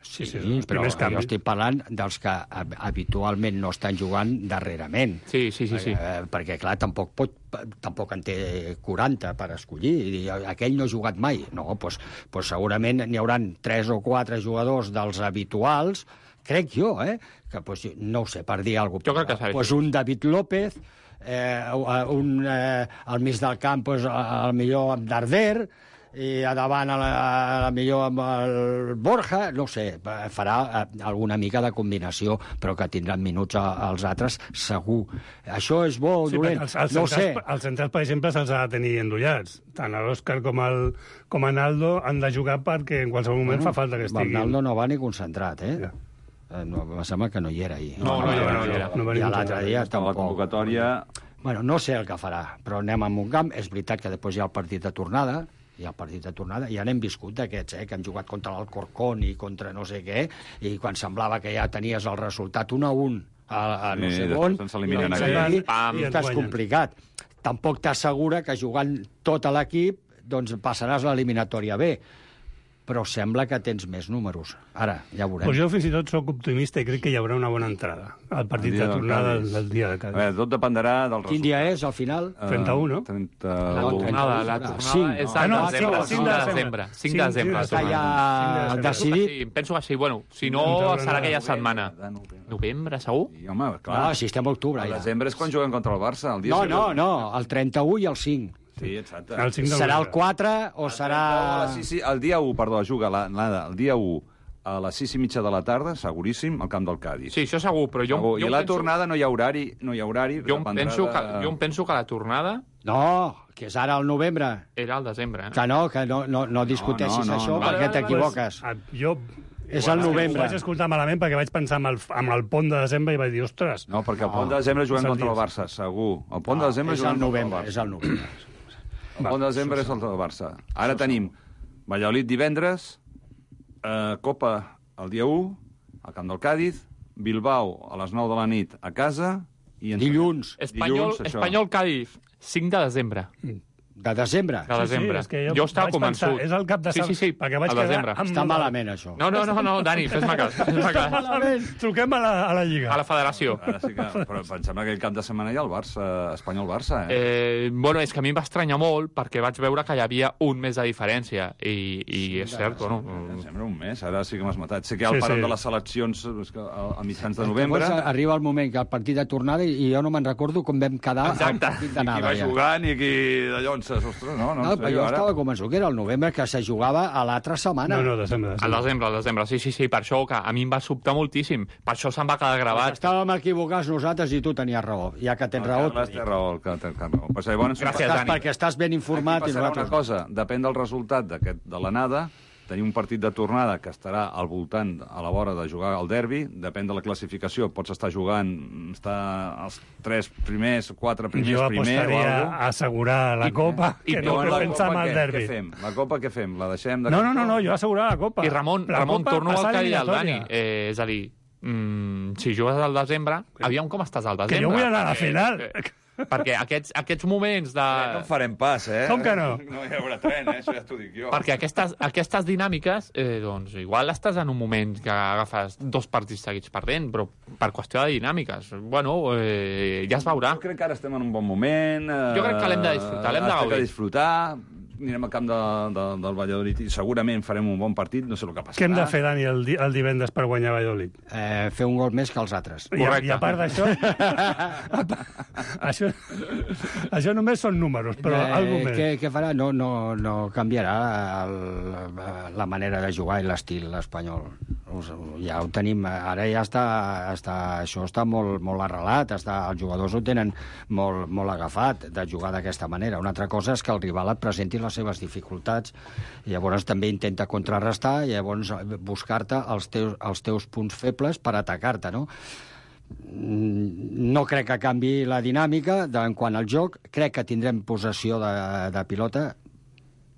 Sí, sí, sí, però jo estic parlant dels que habitualment no estan jugant darrerament. Sí, sí, sí. sí. Eh, perquè, clar, tampoc pot tampoc en té quaranta per escollir. I aquell no ha jugat mai. No, doncs, doncs segurament n'hi hauran tres o quatre jugadors dels habituals, crec jo, eh? Que, doncs, no ho sé, per dir alguna cosa. Jo crec que s'ha doncs un David López, eh, un, eh, al mig del camp, doncs, al millor amb Darder, i a davant a la, a la millor amb el Borja, no sé, farà alguna mica de combinació, però que tindran minuts als altres, segur. Això és bo o sí, dolent? Els, els no centrals, sé. Els centrals, per exemple, se'ls ha de tenir endollats. Tant l'Òscar com el com a Naldo han de jugar perquè en qualsevol moment bueno, fa falta que estiguin. El Naldo no va ni concentrat, eh? Ja. No, em sembla que no hi era ahir. No, no, no, no, no, no, no, no, I l'altre dia tampoc. La convocatòria... Bueno, no sé el que farà, però anem a un camp. És veritat que després hi ha el partit de tornada, hi ha el partit de tornada, ja n'hem viscut d'aquests, eh, que han jugat contra l'Alcorcón i contra no sé què, i quan semblava que ja tenies el resultat un a un a, a no sí, sé on, i, i, i estàs complicat. Tampoc t'assegura que jugant tot a l'equip doncs passaràs l'eliminatòria bé, però sembla que tens més números. Ara, ja veurem. Pues jo fins i tot sóc optimista i crec que hi haurà una bona entrada al partit de tornada del, del dia de Cádiz. A veure, tot dependrà del resultat. Quin dia és, al final? trenta-u, no? trenta... La tornada, la tornada és el desembre, cinc de desembre. cinc de desembre. Està ja decidit? Sí, penso que sí. Bueno, si no, serà aquella setmana. Novembre, segur? Sí, home, clar. No, si estem a octubre, ja. El desembre és quan juguen contra el Barça. El dia no, no, no, el trenta-u i el cinc. Sí, exacte. El serà el quatre o el serà... Sí, sí, el dia u, perdó, juga l'Ada, el dia u a les sis i mitja de la tarda, seguríssim, al camp del Cádiz. Sí, això segur, però jo... Segur. jo I la penso... tornada no hi ha horari, no hi ha horari. Jo em, penso que, jo em penso que la tornada No, que és ara al novembre. Era al desembre, eh? Que no, que no, no, no discuteixis no, no, això no. perquè Vale, vale, t'equivoques. Ah, jo... És al novembre. Ho vaig escoltar malament perquè vaig pensar amb el, amb el pont de desembre i vaig dir, ostres... No, perquè el pont de desembre juguem és el contra el dia. Barça, segur. El pont de desembre És al juguem contra el novembre, Barça. és al novembre. El pont de desembre és el del Barça. Ara tenim Valladolid divendres, eh, Copa el dia u, al camp del Càdiz, Bilbao a les nou de la nit a casa... I Dilluns. Espanyol, Dilluns, això. Espanyol Cádiz, cinc de desembre. De desembre. De desembre. és que jo jo estava vaig pensar, convençut. és el cap de Sí, sí, sí, perquè vaig al quedar desembre. amb- Està malament, això. No, no, no, no, Dani, fes-me cas. Fes-me cas. Malament. Truquem a la, a la Lliga. A la federació. Ara sí que... Però pensem que aquell cap de setmana hi ha el Barça, Espanyol-Barça, eh? Eh, bueno, és que a mi em va estranyar molt perquè vaig veure que hi havia un mes de diferència i, i és cert, bueno... Em sembla un mes, ara sí que m'has matat. Sé que hi ha el Sí, parón sí. de les seleccions és que a, a mitjans de novembre. Llavors arriba el moment que el partit de tornada i jo no me'n recordo com vam quedar Exacte. al partit I qui d'anada. va Ja. jugant i qui de llonces, ostres, no, no, No, en però sèrio, jo ara. estava convençut que era el novembre, que se jugava a l'altra setmana. No, no, desembre. Al desembre, al desembre, sí, sí, sí, per això que a mi em va sobtar moltíssim. Per això se'm va quedar gravat. Estàvem equivocats nosaltres i tu tenies raó. Ja que tens El raó... Carles té raó, el que té raó. Pues, llavors, Gràcies, Estàs, Dani. perquè estàs ben informat. Aquí i passarà una nosaltres... cosa, depèn del resultat d'aquest de l'anada, tenim un partit de tornada que estarà al voltant a la vora de jugar al derbi, depèn de la classificació, pots estar jugant, estar els tres primers, quatre primers, Jo primer o apostaria alguna a assegurar la Copa, i que no Llavors, que la pensar Copa en el què? derbi. Què fem? La Copa què fem? La deixem de No, no, no, no, jo assegurar la Copa. I Ramon, la Ramon Copa, torno al passar que deia el Dani. eliminatòria. Eh, és a dir, mm, si jugues al desembre, aviam com estàs al desembre. Que jo vull anar a la perquè- final. eh, perquè aquests, aquests moments de... No en farem pas, eh? Com que no? No hi haurà tren, eh? Això ja t'ho dic jo. Perquè aquestes, aquestes dinàmiques, eh, doncs, igual estàs en un moment que agafes dos partits seguits perdent, però per qüestió de dinàmiques. Bueno, eh, ja es veurà. Jo crec que ara estem en un bon moment. Eh, Jo crec que l'hem de disfrutar, l'hem de Hem gaudir. de disfrutar. Anirem al camp de, de, del Valladolid i segurament farem un bon partit, no sé el que passarà. Què hem de fer, Dani, el, di el divendres per guanyar Valladolid? Eh, fer un gol més que els altres. I, a- I a part d'això... això, això només són números, però eh, algo més. Què, què farà? No, no, no canviarà el, la manera de jugar i l'estil espanyol. Us- Ja ho tenim, ara ja està, està això està molt, molt arrelat, està, els jugadors ho tenen molt, molt agafat de jugar d'aquesta manera. Una altra cosa és que el rival et presenti les seves dificultats i llavors també intenta contrarrestar i llavors buscar-te els teus, els teus punts febles per atacar-te, no? No crec que canvi la dinàmica de, en quant al joc. Crec que tindrem possessió de, de pilota,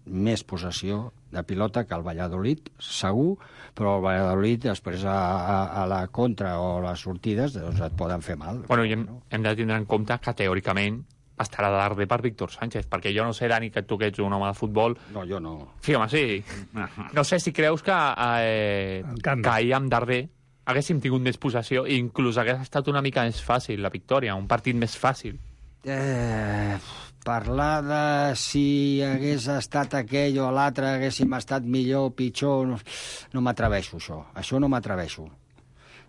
més possessió de pilota que el Valladolid, segur, però el Valladolid després a, a, a la contra o a les sortides doncs et poden fer mal. Bueno, i hem, hem de tindre en compte que teòricament estarà de darrer per Víctor Sánchez, perquè jo no sé, Dani, que tu que ets un home de futbol... No, jo no. Sí, home, sí. No sé si creus que, eh, que ahir amb Darder haguéssim tingut més possessió i inclús hagués estat una mica més fàcil la victòria, un partit més fàcil. Eh, parlar de si hagués estat aquell o l'altre, haguéssim estat millor o pitjor, no, no m'atreveixo, això. Això no m'atreveixo.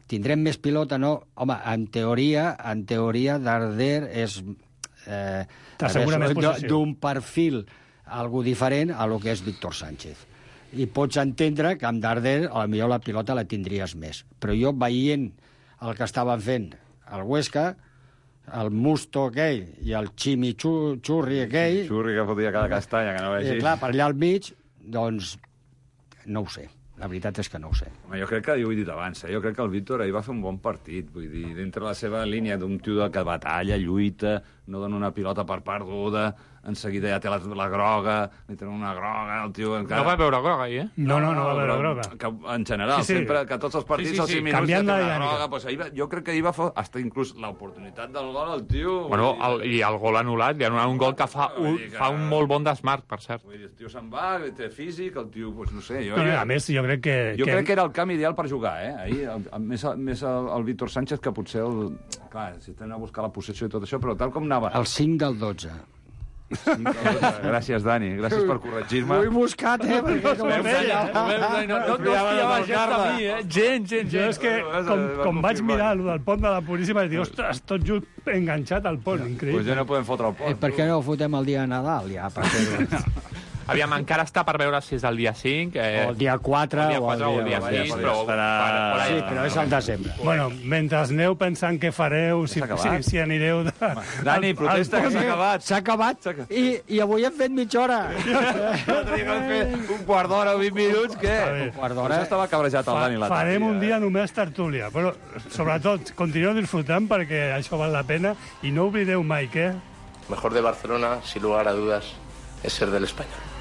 Tindrem més pilota, no? Home, en teoria, en teoria, Darder és... Eh, T'assegura més possessió. d'un perfil algo diferent a lo que és Víctor Sánchez. I pots entendre que amb Darder a la millor la pilota la tindries més. Però jo veient el que estaven fent el Huesca, el Musto aquell i el Chimichurri aquell... Xurri que fotia cada castanya, que no I vegis. clar, per allà al mig, doncs, no ho sé. La veritat és que no ho sé. Home, jo crec que, jo ho he dit abans, eh? Jo crec que el Víctor ahir va fer un bon partit. Vull dir, dintre la seva línia d'un tio de que batalla, lluita, no dona una pilota per perduda, en seguida ja té la, la groga, li tenen una groga, el tio encara... No va veure groga ahir, eh? No, no, no va veure però groga. Que, en general, Sí, sí. sempre, que tots els partits, Sí, sí, als sí, cinc minuts, canviant ja té la una dinàmica. groga. Pues ahir va, jo crec que ahir va fer hasta inclús l'oportunitat del gol al tio. Bueno, vull dir, el, i el gol anul·lat, li ha anul·lat un gol que fa un, Vull dir que- fa un molt bon desmarc, per cert. Vull dir, el tio se'n va, té físic, el tio, pues, no sé... Jo, No, jo, a més, jo crec que... jo crec que era el camp ideal per jugar, eh? Ahir, el, el, més, el, més el, el Víctor Sánchez que potser el... Clar, si tenen a buscar la possessió i tot això, però tal com anava... El cinc del dotze. Gràcies, Dani, gràcies per corregir-me. Ho he buscat, eh? Perquè no ho feia. No, no, no fiava gens de mi, eh? Gent, gent, Jo gent. és que, com, com vaig mirar el del pont de la Puríssima, vaig dir, ostres, tot just enganxat al pont, Pues increïble. ja no podem fotre el Eh, pont. per què no ho fotem el dia de Nadal, ja? Per fer-ho? Aviam, encara està per veure si és el dia cinc. Eh, o el dia quatre, o el dia, quatre, o el dia, el dia sis, sis, però... esperar... Per, per Sí, però és el desembre. Bueno, mentre aneu pensant què fareu, si, si, si anireu... De... Dani, protesta, que s'ha acabat. S'ha acabat, I, i avui hem fet mitja hora. L'altre dia vam fer un quart d'hora o vint minuts, què? Un quart d'hora. Això estava cabrejat el Dani l'altre dia. Farem un dia només tertúlia, però sobretot continueu disfrutant perquè això val la pena i no oblideu mai que... Mejor de Barcelona, sin lugar a dudas, es ser del Español.